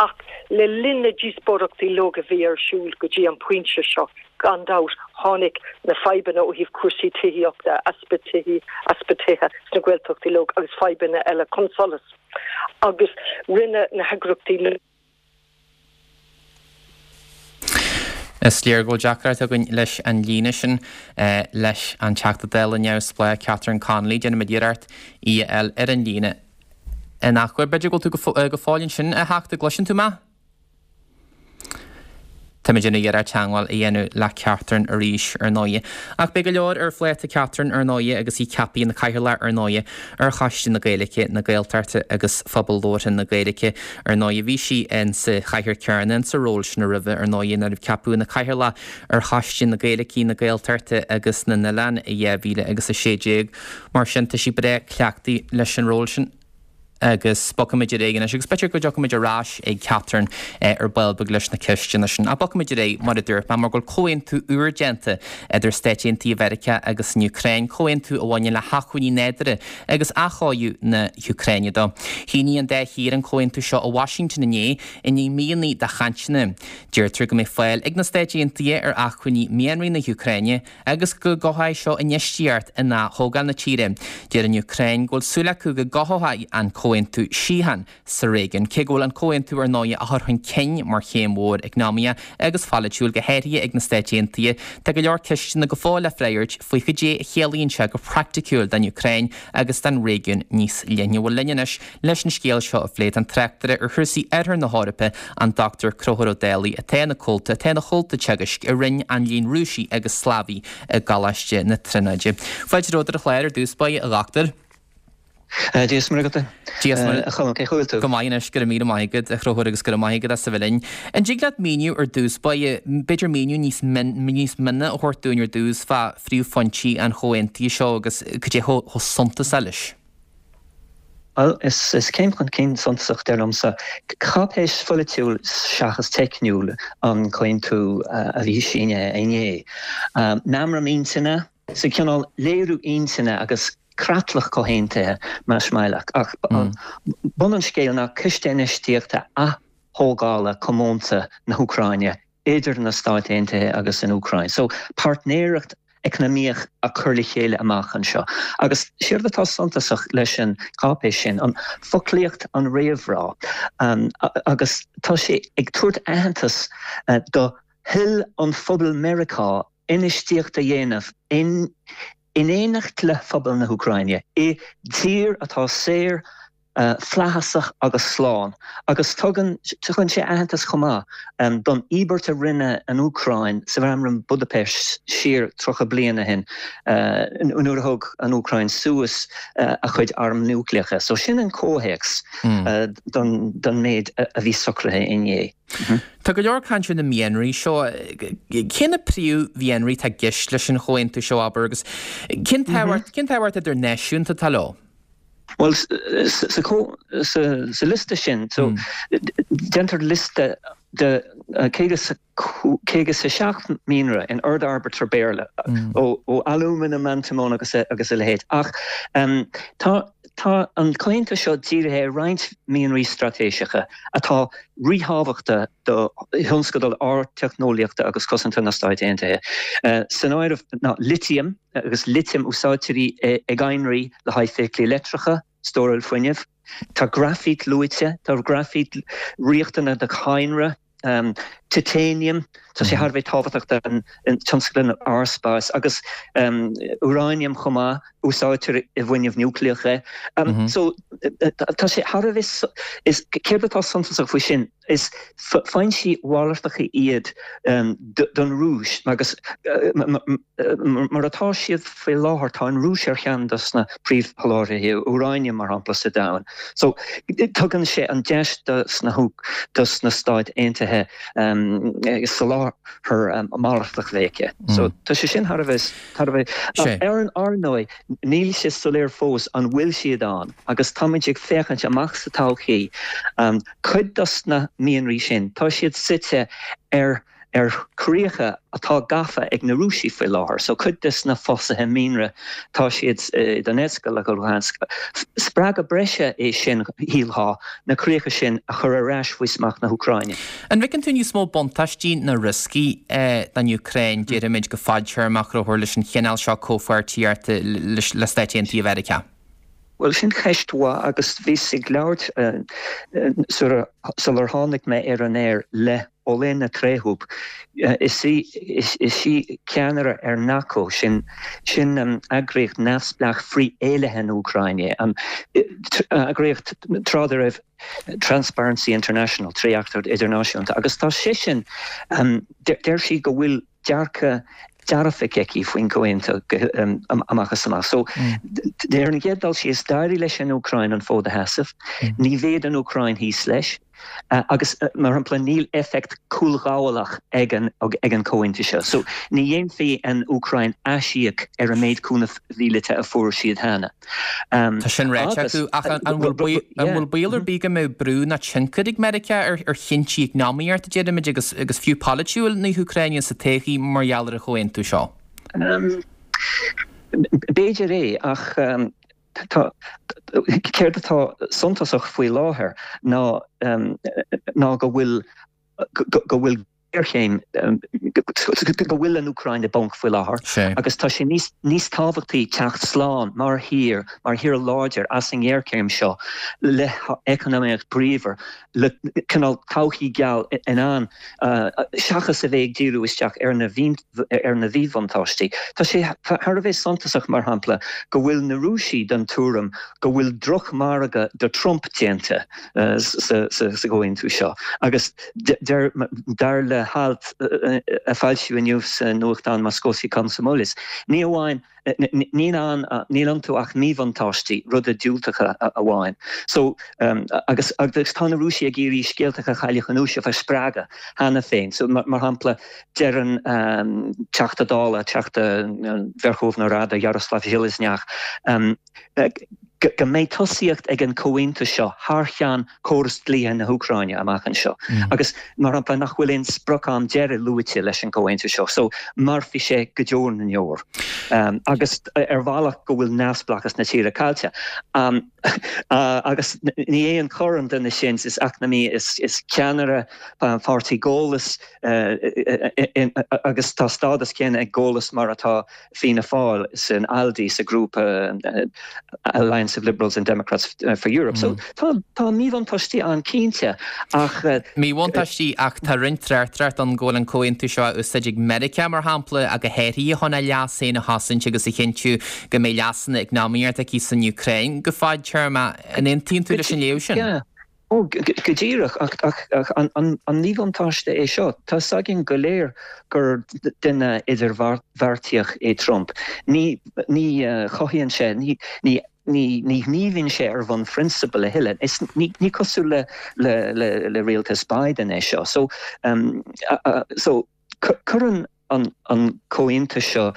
[SPEAKER 13] Ach le linn na díospóireachtaí uilig a bhí ar siúl go dtí an pointe seo gan dabht tháinig na fadhbanna ó thaobh cúrsaí tithíochta easpa tithe easpa tithe sna Gaeltachtaí uilig agus fadhbanna eile chun solais. Agus rinne na heagraíochtaí
[SPEAKER 1] Is léir go bhfuil deacracht againn leis an líne sin leis an Teachta Dála neamhspleách Catherine Connolly. Déanfaimid iarracht í a fháil ar an líne in athuair. B'fhéidir go bhfuil tú go fóill ansin, a Theachta, gcloiseann tú mé? Táimid ag iarraidh teagmháil a dhéanamh le Catherine arís ar ndóigh. Ach beidh go leor ar phláta Catherine ar ndóigh agus í ceaptha ina cathaoirleach ar ndóigh ar Choiste na Gaeilge, na Gaeltachta agus Phobal Labhartha na Gaeilge. Ar ndóigh bhí sí in sa chathaoir chéanna in sa ról sin roimhe ar ndóigh nuair a ceapadh ina cathaoirleach ar Choiste na Gaeilge, na Gaeltachta agus na nOileán i dhá mhíle agus a sé déag. Mar sin tá sí breá cleachtaithe leis an ról sin. agus bogfaimid ar aghaidh anois agus b'fhéidir go dtiocfaimid ar ais ag Catherine eh, ar ball beag leis na ceisteanna sin. Ach bogfaimid ar aghaidh mar a dúirt mé mar go bhfuil comhaontú úr déanta idir Stáit Aontaithe Mheiriceá agus an Úcráin, comhaontú a bhaineann le hacmhainní nádúrtha agus athchóiriú na hÚcráine dó. Shínigh an dá thír an comhaontú seo i Washington inné i ndiaidh míonna de chainteanna. Deirtear go mbeidh fáil ag na Stáit Aontaithe ar acmhainní mianraí na hÚcráine agus go gcothóidh seo infheistíocht in ath-thógáil na tíre. Deir an Úcráin go bhfuil súil acu go gcothóidh an comhaontú síocháin sa réigiún. Cé go bhfuil an comhaontú ar ndóigh á chur chun cinn mar chéim mhór eacnamaíoch agus pholaitiúil go háirithe ag na Stáit Aontaithe, tá go leor ceisteanna go fóill le freagairt faoi cad é a chiallaíonn sé go praiticiúil don Úcráin agus don réigiún níos leithne. Bhuel linn anois leis an scéal seo a phlé tá an tráchtaire ar chúrsaí Oirthear na hEorpa, an Dochtúir Conchúr Ó Dálaigh, atá ina chomhalta atá ina chomhalta teagaisc i Roinn an Léinn Rúisigh agus Slavaigh i gColáiste na Tríonóide. Fáilte romhat ar an chlár ar dtús báire, a Dhochtúir.
[SPEAKER 14] Dia is Muire agat.
[SPEAKER 1] Dia is Muire.
[SPEAKER 14] A Cholm, cén chaoi a bhfuil tú?
[SPEAKER 1] Go maith anois, go raibh míle maith agat, a Chonchúir, agus go raibh maith agat as a bheith linn. An dtig leat míniú ar dtús báire, b'fhéidir míniú níos níos mine a thabhairt dúinn ar dtús fá phríomhphointí an chomhaontaithe seo agus cad é chomh suntasach leis?
[SPEAKER 14] Bhuel, is is céim chun cinn suntasach dar liomsa. Cáipéis pholaitiúil seachas teicniúil an comhaontú a bhí sínithe inné. Meamram intinne, sa cineál léiriú intinne agus creatlach comhaontaithe más maith leat. Ach bun an scéil ná ciste infheistíochta ath-thógála comónta na hÚcráine idir na Stáit Aontaithe agus an Úcráin. So páirtnéireacht eacnamaíoch a chur le chéile amach anseo. Agus séard atá suntasach leis an cáipéis sin, an foclaíocht an réamhrá, agus tá sé ag tabhairt aitheantas do thoil an phobail Meiriceá infheistíocht a dhéanamh in in éineacht le phobal na hÚcráine i dtír atá saor Flaitheasach agus slán, agus tugann tugann sé aitheantas chomh maith don íobairt a rinne an Úcráin sa Mheamram Budapest siar tríocha bliain ó shin nuair a thug an Úcráin suas a chuid arm núicléacha. So sin an comhthéacs don don méid a bhí socraithe inné.
[SPEAKER 1] Tá go leor caint ar na mianraí seo. Cé na príomh-mhianraí atá i gceist leis an chomhaontú seo, abair, agus cén tábhacht cén tábhacht idirnáisiúnta atá leo?
[SPEAKER 14] Bhuel, sa liosta sin, so déantar liosta de caoga is a seacht mianra in ord airbitre Béarla, ó alúmanam, antamón agus agus a leithéid. Ach tá tá an comhaontú seo dírithe ar roinnt mianraí straitéiseacha atá ríthábhachtach do thionscadal ardteicneolaíochta agus cosanta na Stáit Aontaithe. San áireamh ná litiam, agus litiam úsáidtear í i gcadhnraí le haghaidh feithiclí leictreacha, stóráil fuinnimh. Tá graifít luaite, tá graifít riachtanach do chadhnra, titanium, tá sé thar a bheith tábhachtach don tionscal aerspáis, agus úráiniam chomh maith, úsáidtear i bhfuinneamh núicléach é. So tá sé thar a bheith, is céard atá suntasach faoi sin, is foinsí malartacha iad don Rúis agus mar atá siad faoi láthair tá an Rúis ar cheann dos na príomhsholáthraithe úráiniam mar shampla sa domhan. So tugann sé an deis dos na dos na Stáit Aontaithe soláthar malartach a bheith aici. So tá sé sin thar a bheith thar a bheith ar an ar ndóigh níl sé soiléir fós an bhfuil siad ann agus táimid ag féachaint amach sa todhchaí. Cuid dos na mianraí sin, tá siad suite ar ar chríocha atá gafa ag na Rúisigh faoi láthair. So cuid des na fosaithe mianra, tá siad i Donetsk agus Luhansk. Spreagadh breise é sin, shílfeá, na críocha sin a chur ar ais faoi smacht na hÚcráine.
[SPEAKER 1] An bhfeiceann tú níos mó buntáistí ná rioscaí don Úcráin, déarfaimid, go fadtéarmach, a Chonchúir, leis an chineál seo comhpháirtíochta le Stáit Aontaithe Mheiriceá?
[SPEAKER 14] Bhuel, sin ceist mhaith agus bhíos ag labhairt sular tháinig mé ar an aer le Olena Trehub. Is í is í ceannaire ar NACO, sin sin eagraíocht neamhspleách frith-éillithe na hÚcráine, an eagraíocht tráth dá raibh Transparency International, Trédhearcacht Idirnáisiúnta, agus tá sé sin, deir sí go bhfuil dearcadh dearfach aici faoin gcomhaontú amach is amach. So, ar an gcéad dul síos, d'éirigh leis an Úcráin an fód a sheasamh. Ní bheidh an Úcráin thíos leis. Agus, mar shampla, níl éifeacht cúlghabhálach ag an ag an comhaontú seo. So, ní dhéanfaidh an Úcráin aisíoc ar an méid cúnamh mhíleata a fuair siad cheana.
[SPEAKER 1] Tá sin ráite acu, ach an bhfuil baol ar bith go mbeidh brú ná tionchar ag Meiriceá ar chinntí eacnamaíochta, déarfaimid, agus agus fiú polaitiúil na hÚcráine sa todhchaí mar gheall ar an chomhaontú seo?
[SPEAKER 14] B'fhéidir é, ach tá céard atá suntasach faoi láthair ná ná go bhfuil go bhfuil géarchéim, go bhfuil an Úcráin i bponc faoi láthair agus tá sé níos níos tábhachtaí teacht slán mar thír, mar thír láidir as an ngéarchéim seo le heacnamaíocht bríomhar, le cineál todhchaí geal i ndán seachas a bheith ag díriú isteach ar na ar na mhíbhuntáistí. Tá sé thar a bheith suntasach, mar shampla, go bhfuil na Rúisigh den tuairim go bhfuil drochmhargadh do Trump déanta sa gcomhaontú seo agus deir dar le halt a foilsíodh inniu sa nuachtán Moskovsky Komsomolets, ní amháin níl ann níl iontu ach míbhuntáistí, rudaí diúltacha amháin. So agus agus tá na Rúisigh ag iarraidh scéalta Chailleach Chunúiseach a spreagadh cheana féin. So mar shampla deireann Teachta Dála, Teachta Verkhovna Rada, Yaroslav Zheleznyak, go mbeidh tosaíocht ag an gcomhaontú seo thar cheann córas dlíthe na hÚcráine amach anseo agus, mar shampla, nach bhfuil aon sprioc-am deiridh luaite leis an gcomhaontú seo, so mairfidh sé go deo na ndeor agus ar bhealach go bhfuil neamhspleáchas na tíre caillte. Agus ní aon chor an duine sin, is eacnamaí, is ceannaire pháirtí Golos agus tá stádas céanna ag Golos mar atá Fianna Fáil san ALDE, sa ghrúpa Alliance. Alliance of Liberals and Democrats uh, for Europe. Mm. So tá tá míbhuntáistí ann cinnte ach
[SPEAKER 1] uh, Míbhuntáistí ach tá roinnt tráchtaireacht ann go bhfuil an comhaontú seo úsáid ag Meiriceá mar shampla ag a héirí chun a leas féin a chosaint agus a chinntiú go mbeidh leasanna eacnamaíochta aici san Úcráin go fadtéarma an aontaíonn tú leis an léamh sin.
[SPEAKER 14] Yeah. Ó go díreach ach ach ach an an an míbhuntáiste é seo Tá againn go léir gur duine idirbheartaíoch é Trump. Ní ní uh, chothaíonn sé ní ní ní ní ghníomhaíonn sé ar bhonn phrionsabal a thuilleadh. Is ní, ní cosúil le le le, le rialtas Biden é seo. So um, uh, uh, so cuireann an an comhaontú seo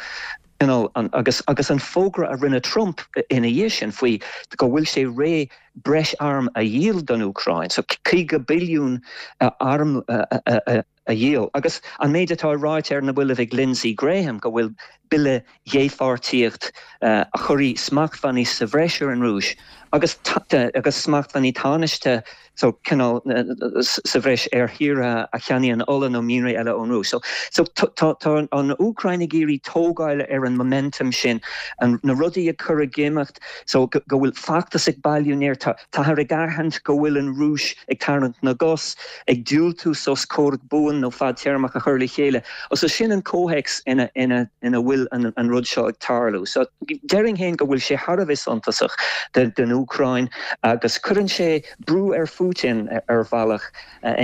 [SPEAKER 14] you know, an, agus agus an fógra a rinne Trump ina dhiaidh sin faoi go bhfuil sé réidh breis arm a dhíol don Úcráin, so caoga billiún uh, arm uh, uh, uh, a dhíol. Agus an méid atá ráite ar na mallaibh ag Lindsey Graham go bhfuil bille dépháirtíocht uh, a chuirfidh smachtbhannaí sa bhreis ar an Rúis agus agus smachtbhannaí tánaiste so cineál uh, sa bhreis ar thíortha a cheannaíonn ola nó mianraí eile ón Rúis. So, so tá an Úcráin ag iarraidh tógáil ar an momentum sin an na rudaí a chur ag imeacht so go bhfuil feachtas ag bailiú neart táthar ag aithint go bhfuil an Rúis ag tarraingt na gcos ag diúltú sos comhrac buan nó fadtéarmach a chur le chéile. O so sin an comhthéacs ina ina ina bhfuil an, an rud seo ag tarlú. So déarfainn féin go bhfuil sé thar a bheith suntasach den, den Úcráin agus cuireann sé brú ar Putin ar bhealach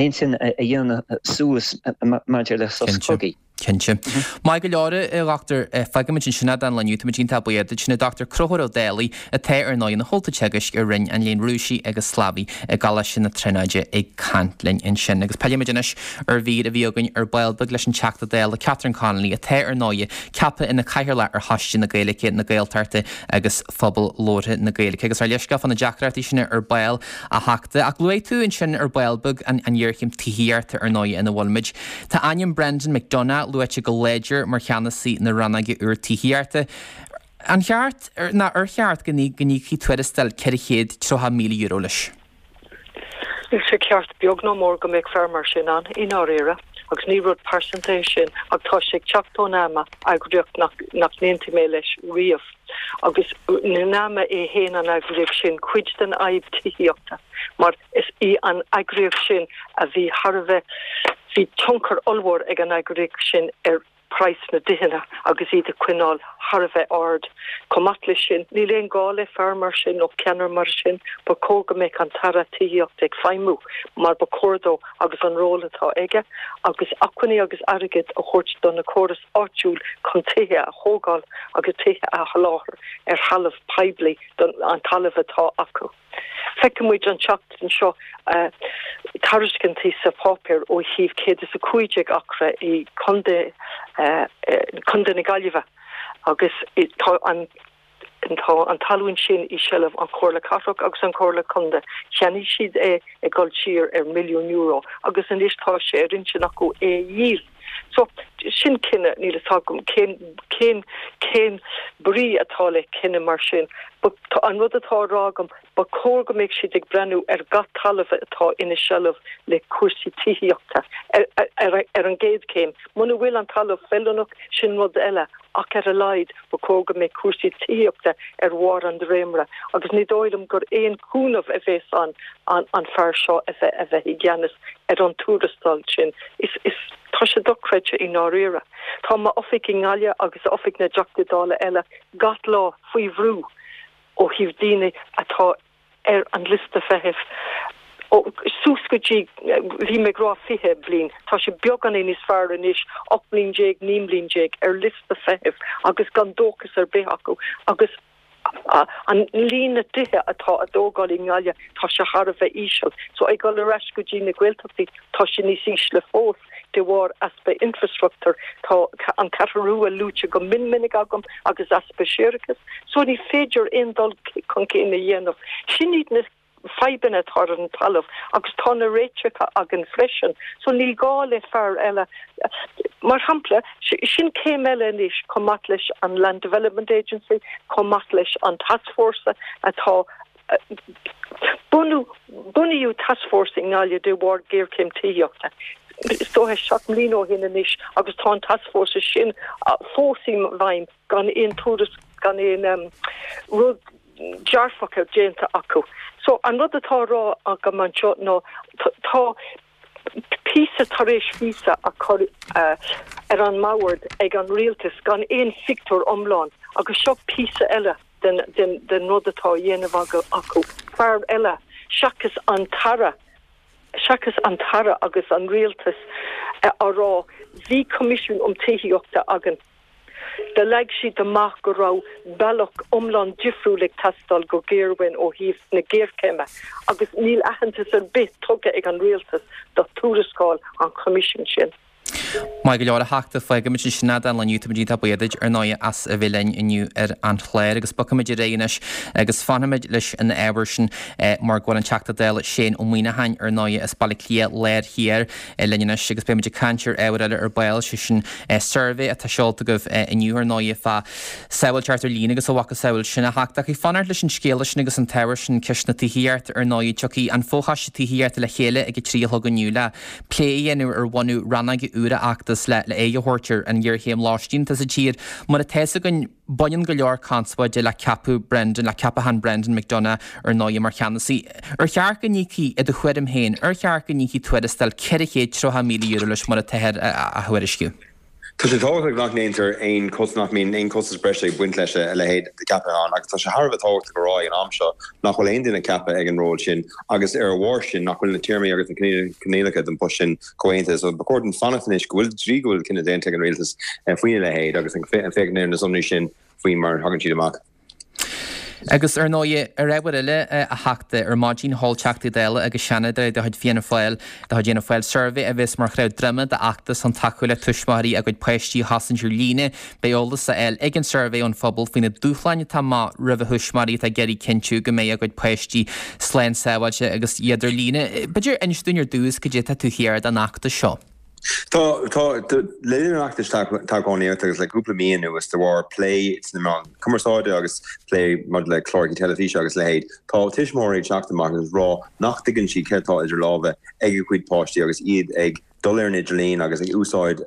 [SPEAKER 14] intinn a dhéanamh suas maidir le sos cogaidh.
[SPEAKER 1] Cinnte. Maith go leor a dhochtúir fágfaimid ansin é don lá inniu táimid iontach buíoch duit sin Dr Conchúr Ó Dálaigh atá ar ndóigh ina chomhalta teagaisc i Roinn an Léinn Rúisigh agus Slavaigh i gColáiste na Tríonóide ag caint linn ansin. Agus pillfimid anois ar mhír a bhí againn ar ball beag leis an Teachta Dála Catherine Connolly atá ar ndóigh ceaptha ina cathaoirleach ar Choiste na Gaeilge na Gaeltachta agus Phobal Labhartha na Gaeilge. Agus ar leisce fan na deacrachtaí sin ar ball a Theachta ach luaigh tú ansin ar ball beag an an ghéarchéim tithíochta ar ndóigh ina bhfuilimid. Tá ainm Brendan McDonagh luaite go láidir mar cheannasaí na rannóige úr tithíochta. An cheart ná ar cheart go n-íocfaí tuarastal ceithre chéad tríocha míle euro leis.
[SPEAKER 13] Níl sé ceart beag ná mór go mbeadh fear mar sin ann i ndáiríre, agus ní rud pearsanta é sin ach tá sé ag teacht ón NAMA eagraíocht nach n-aontaigh mé leis riamh. Agus NAMA é féin an eagraíocht sin cuid den fhadhb tithíochta, mar is í an eagraíocht sin a bhí thar a bheith bhí tionchar ollmhór ag an eagraíocht sin ar praghas na dtithe agus iad a choinneáil thar a bheith ard. Chomh maith leis sin, níl aon gá le fear mar sin nó ceannaire mar sin, ba chóir go mbeadh an tAire Tithíochta ag feidhmiú mar ba chóir dó agus an ról atá aige, agus acmhainní agus airgead a thabhairt do na córas áitiúil chun tithe a thógáil agus tithe a sholáthar ar thalamh poiblí don an talamh atá acu. Feicimid an tseachtain seo uh, tairiscintí sa pháipéar ó thaobh céad is a cúig déag acra i Contae uh, Contae na Gaillimhe agus tá an tá an talún sin i seilbh an Chomhairle Cathrach agus an Chomhairle Contae. Cheannaigh siad é ag dul siar ar milliún euro agus anois tá sé ar intinn acu é a dhíol. So sin cinneadh níl a fhios agam cén cén cén brí atá le cinneadh mar sin. But an rud atá á rá agam ba chóir go mbeadh siad ag breathnú ar gach talamh atá ina seilbh le cúrsaí tithíochta ar, ar, ar an gcéad chéim. Muna bhfuil an talamh feiliúnach sin rud eile ach ar a laghad ba chóir go mbeadh cúrsaí tithíochta ar bharr an dréimire, agus ní dóigh liom gur aon chúnamh a bheas an, an, an fear seo a bheith a bheith i gceannas ar an tuarastal sin. Is, is tá sé dochreidte i ndáiríre. Tá m'oifig i nGaillimh agus oifig na dTeachtaí Dála eile gach lá faoi bhrú ó thaobh daoine atá ar an liosta feithimh. Ó suas go dtí bhí mé ag rá fiche bliain, Tá sé beagáinín níos fearr anois ocht mbliana déag naoi mbliana déag ar liosta feithimh agus gan dóchas ar bith acu agus an líon na dtithe atá á dtógáil i nGaillimh tá sé thar a bheith íseal. So ag dul ar ais go dtí na Gaeltachtaí tá sé níos ísle fós de bharr easpa infrastruchtúr tá an Cheathrú Rua luaite go mion minic agam agus easpa séarachais, so ní féidir aon dul chun cinn a dhéanamh. Sin iad na fadhbanna atá ar an talamh agus tá na réiteacha againn freisin, so níl gá le fear eile. Mar shampla sin céim eile anois chomh maith leis an Land Development Agency, chomh maith leis an taskforce atá bunú bunaíodh taskforce i nGaillimh de bharr géarchéim tithíochta. Is dócha seacht mbliana ó shin anois agus tá an taskforce sin fós i bhfeidhm gan aon turas gan aon um, rud dearfacha déanta acu. So an rud atá á rá agam anseo ná tá píosa tar éis píosa á chur uh, ar an mbord ag an rialtas gan aon phictiúr iomlán agus seo píosa eile den, den, den rud atá á dhéanamh acu fear eile seachas an tAire seachas an tAire agus an rialtas uh, á rá bhí coimisiún um tithíochta againn. Do leag siad amach go raibh bealach iomlán difriúil ag teastáil go géarchéim ó thaobh na géarchéime, agus níl aitheantas ar bith tugtha ag an rialtas do tuarascáil an choimisiúin sin.
[SPEAKER 1] Maith go leor a Theachta fágfaimid sin don lá inniu táimid iontach buíoch duit ar ndóigh as a bheith linn inniu ar an chlár agus bogfaimid ar aghaidh anois agus fanfaimid leis an ábhar sin mar go bhfuil an Teachta Dála Shane Ó Muimhneacháin ar ndóigh as Baile Átha Cliath Láir Thiar linn anois agus beimid ag caint ar ábhar eile ar ball sé sin suirbhé atá seolta agaibh inniu ar ndóigh fá sábháilteacht ar líne agus a mhacasamhail sin a Theachta ach fanacht leis an scéal sin agus an t-ábhar sin ceist na tithíochta ar ndóigh tiocfaidh an Fochoiste Tithíochta le chéile ag a trí a chlog inniu le plé a dhéanamh ar bhunú rannóige úr Oireachtais le le aghaidh a thabhairt ar an ngéarchéim lóistín sa tír mar atá a fhios againn baineann go leor conspóide le ceapadh Brendan le ceapachán Brendan McDonagh ar ndóigh mar cheannasaí. Ar cheart go n-íocfaí i do thuairim féin, ar cheart go n-íocfaí tuarastal ceithre chéad tríocha míle euro leis mar atáthar a thuairisciú.
[SPEAKER 15] Tá sé tábhachtach nach ndéantar aon chos nach mbíonn aon chostas breise ag baint leis a leithéid de cheapachán agus tá sé thar a bheith tábhachtach a rá ag an am seo nach bhfuil aon duine ceaptha ag an ról sin agus ar a bharr sin nach bhfuil na téarmaí agus na coinníollacha don post sin comhaontaithe. So ba chóir dúinn fanacht anois go bhfuil trí go bhfuil cinneadh déanta ag an rialtas eh, faoina leithéid agus an féachaint ar na sonraí sin faoi mar thagann siad amach.
[SPEAKER 1] Agus ar ndóigh ar ábhar eile a Theachta ar maidin sheol Teachtaí Dála agus Seanadóirí de chuid Fianna Fáil de chuid Fhianna Fáil suirbhé a bheas mar chraobh droime d'fheachtas chun tacú le tuismitheoirí a gcuid páistí a chosaint ar líne, beidh eolas á fháil ag an suirbhé ón phobal faoi na dúshláin atá amach roimh a thuismitheoirí atá ag iarraidh cinntiú go mbeidh a gcuid páistí slán sábháilte agus iad ar líne. B'fhéidir inis dúinn ar dtús cad é atá taobh thiar den fheachtas seo.
[SPEAKER 15] Tá tá le linn an fheachtais toghchánaíochta agus le cúpla mí anuas de bharr plé sna meáin cumarsáide agus plé maidir le cláracha teilifíse agus leithéid. Tá tuismitheoirí ag teacht amach agus rá nach dtuigeann siad céard atá idir lámha ag a gcuid páistí agus iad ag dul ar an idirlíon agus ag úsáid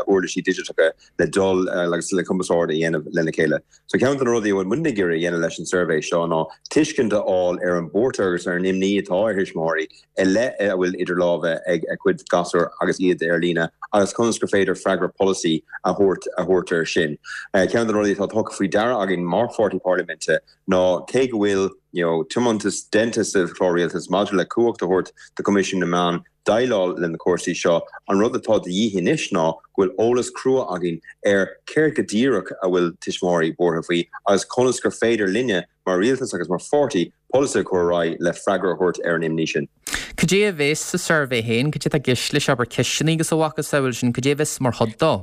[SPEAKER 15] uirlisí digiteacha le dul agus le cumarsáid a dhéanamh lena chéile. So ceann de na rudaí a bhfuil muid ag iarraidh a dhéanamh leis an suirbhé seo ná tuiscint a fháil ar an mbuairt agus ar an imní atá ar thuismitheoirí i leith a bhfuil idir lámha ag a gcuid gasúr agus iad ar líne agus conas gur féidir freagra polasaí a thabhairt a thabhairt air sin. Ceann de na rudaí atá tugtha faoi deara againn mar pháirtí parlaiminte ná cé go bhfuil you know, tiomantas déanta sa chlár rialtais maidir le cumhacht a thabhairt do Choimisiún na Meán déileáil le na cúrsaí seo an rud atá de dhíth anois ná go bhfuil eolas crua againn ar céard go díreach a bhfuil tuismitheoirí buartha faoi agus conas gur féidir linne mar rialtas agus mar pháirtí polasaí a chur ar aghaidh le freagra a thabhairt ar an imní sin.
[SPEAKER 1] Cad é a bheas sa suirbhé féin, cad é atá i gceist leis abair ceisteanna agus a mhacasamhail sin, cad é a bheas mar chuid dó?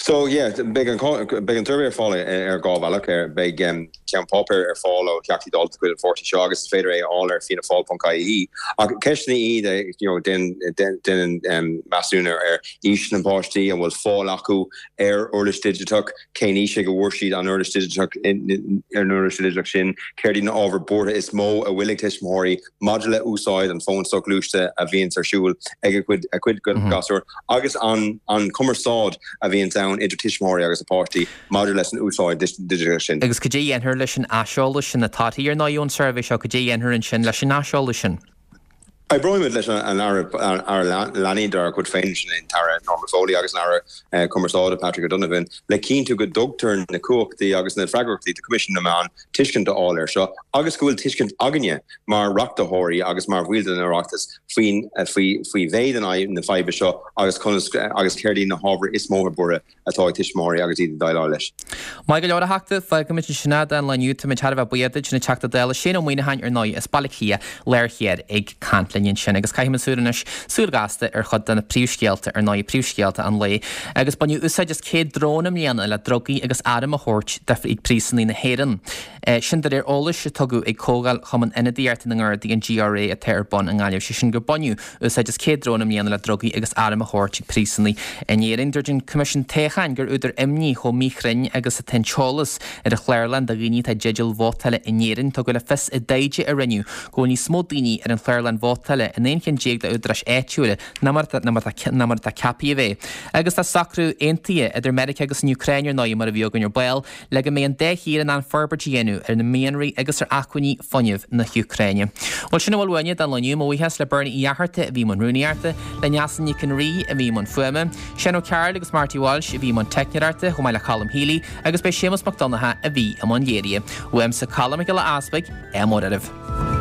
[SPEAKER 15] So yeah, beidh an beidh an suirbhé ar fáil ar dhá bhealach ar beidh um, ceann páipéir ar fáil ó Theachtaí Dála de chuid an pháirtí seo agus is féidir é a fháil ar fiannafáil.ie ach ceisteanna iad you know, déanann um, measúnú ar aois na bpáistí an bhfuil fáil acu ar uirlis digiteach cén aois ag a bhfuair siad an uirlis digiteach ar an uirlis digiteach sin céard iad na ábhair buartha is mó a bhfuil ag tuismitheoirí maidir le úsáid an fón soghluaiste a bhíonn ar siúl ag a cuid a cuid mm -hmm. gasúr agus an an cumarsáid a bhíonn ann idir tuismitheoirí agus a páistí maidir leis an úsáid digiteach sin.
[SPEAKER 1] Agus cad é a dhéanfar leis an aiseolas sin na torthaí ar ndóigh ón suirbhé seo cad é a dhéanfar ansin leis an aiseolas sin.
[SPEAKER 15] Oibreoimid leis an Aire Leanaí dár gcuid féin sin an tAire Norma Foley agus an Aire Cumarsáide Patrick O'Donovan le cinntiú go dtugtar na cumhachtaí agus na freagrachtaí do Choimisiún na Meán tuiscint a fháil air seo agus go bhfuil tuiscint againne mar reachtathóirí agus mar bhaill den Oireachtas faoin faoi faoi mhéid an na faidhbe seo agus conas agus céard iad na hábhair is mó buartha atá ag tuismitheoirí agus iad ag déileáil leis.
[SPEAKER 1] Maith go leor a Theachta fágfaimid ansin é don lá inniu táimid thar a bheith buíoch duit an Teachta Dála Shane Ó Muimhneacháin ar ndóigh as Baile Átha Cliath Láir Thiar ag caint linn ansin agus caithfimid súil anois súil ghasta ar chuid de na príomhscéalta ar ndóigh príomhscéalta an lae agus baineadh úsáid as céad drón i mbliana le drugaí agus airm a thabhairt ag príosúnaigh na hÉireann. Sin de réir eolais a tugadh ag Comhdháil Chumann Ionadaíochta na nGardaí an GRA atá ar bun i nGaillimh sé sin gur baineadh úsáid as céad drón i mbliana le drugaí agus airm a thabhairt ag príosúnaigh in Éirinn. Dúirt an Coimisiún Toghcháin gur údar imní chomh míchruinn agus atá an t-eolas ar an chlárlann do dhaoine atá i dteideal vótála in Éirinn. Tugadh le fios i dtaighde a rinneadh go bhfuil níos mó daoine ar an chlárlann vótála vótála in aon cheann déag d'údaráis áitiúla ná mar atá ceaptha a bheith. Agus tá socrú aontaithe idir Meiriceá agus an Úcráin ar ndóigh mar a bhí againn ar ball le go mbeidh an dá thír in ann forbairt a dhéanamh ar na mianraí agus ar acmhainní fuinnimh na hÚcráine. Bhuel sin a bhfuil uainne don lá inniu, mo bhuíochas le Bernie Uí Fhatharta a bhí i mbun rúnaíochta, le Neasa Nic an Rí a bhí i mbun fuaime, Seán Ó Cearúil agus Marty Walsh a bhí i mbun teicneoireachta chomh maith le Colm Healy agus b'é Séamus Mac Donncha a bhí i mbun léirithe. Uaimse Colm Mac Giolla Easpaig, ádh mór oraibh.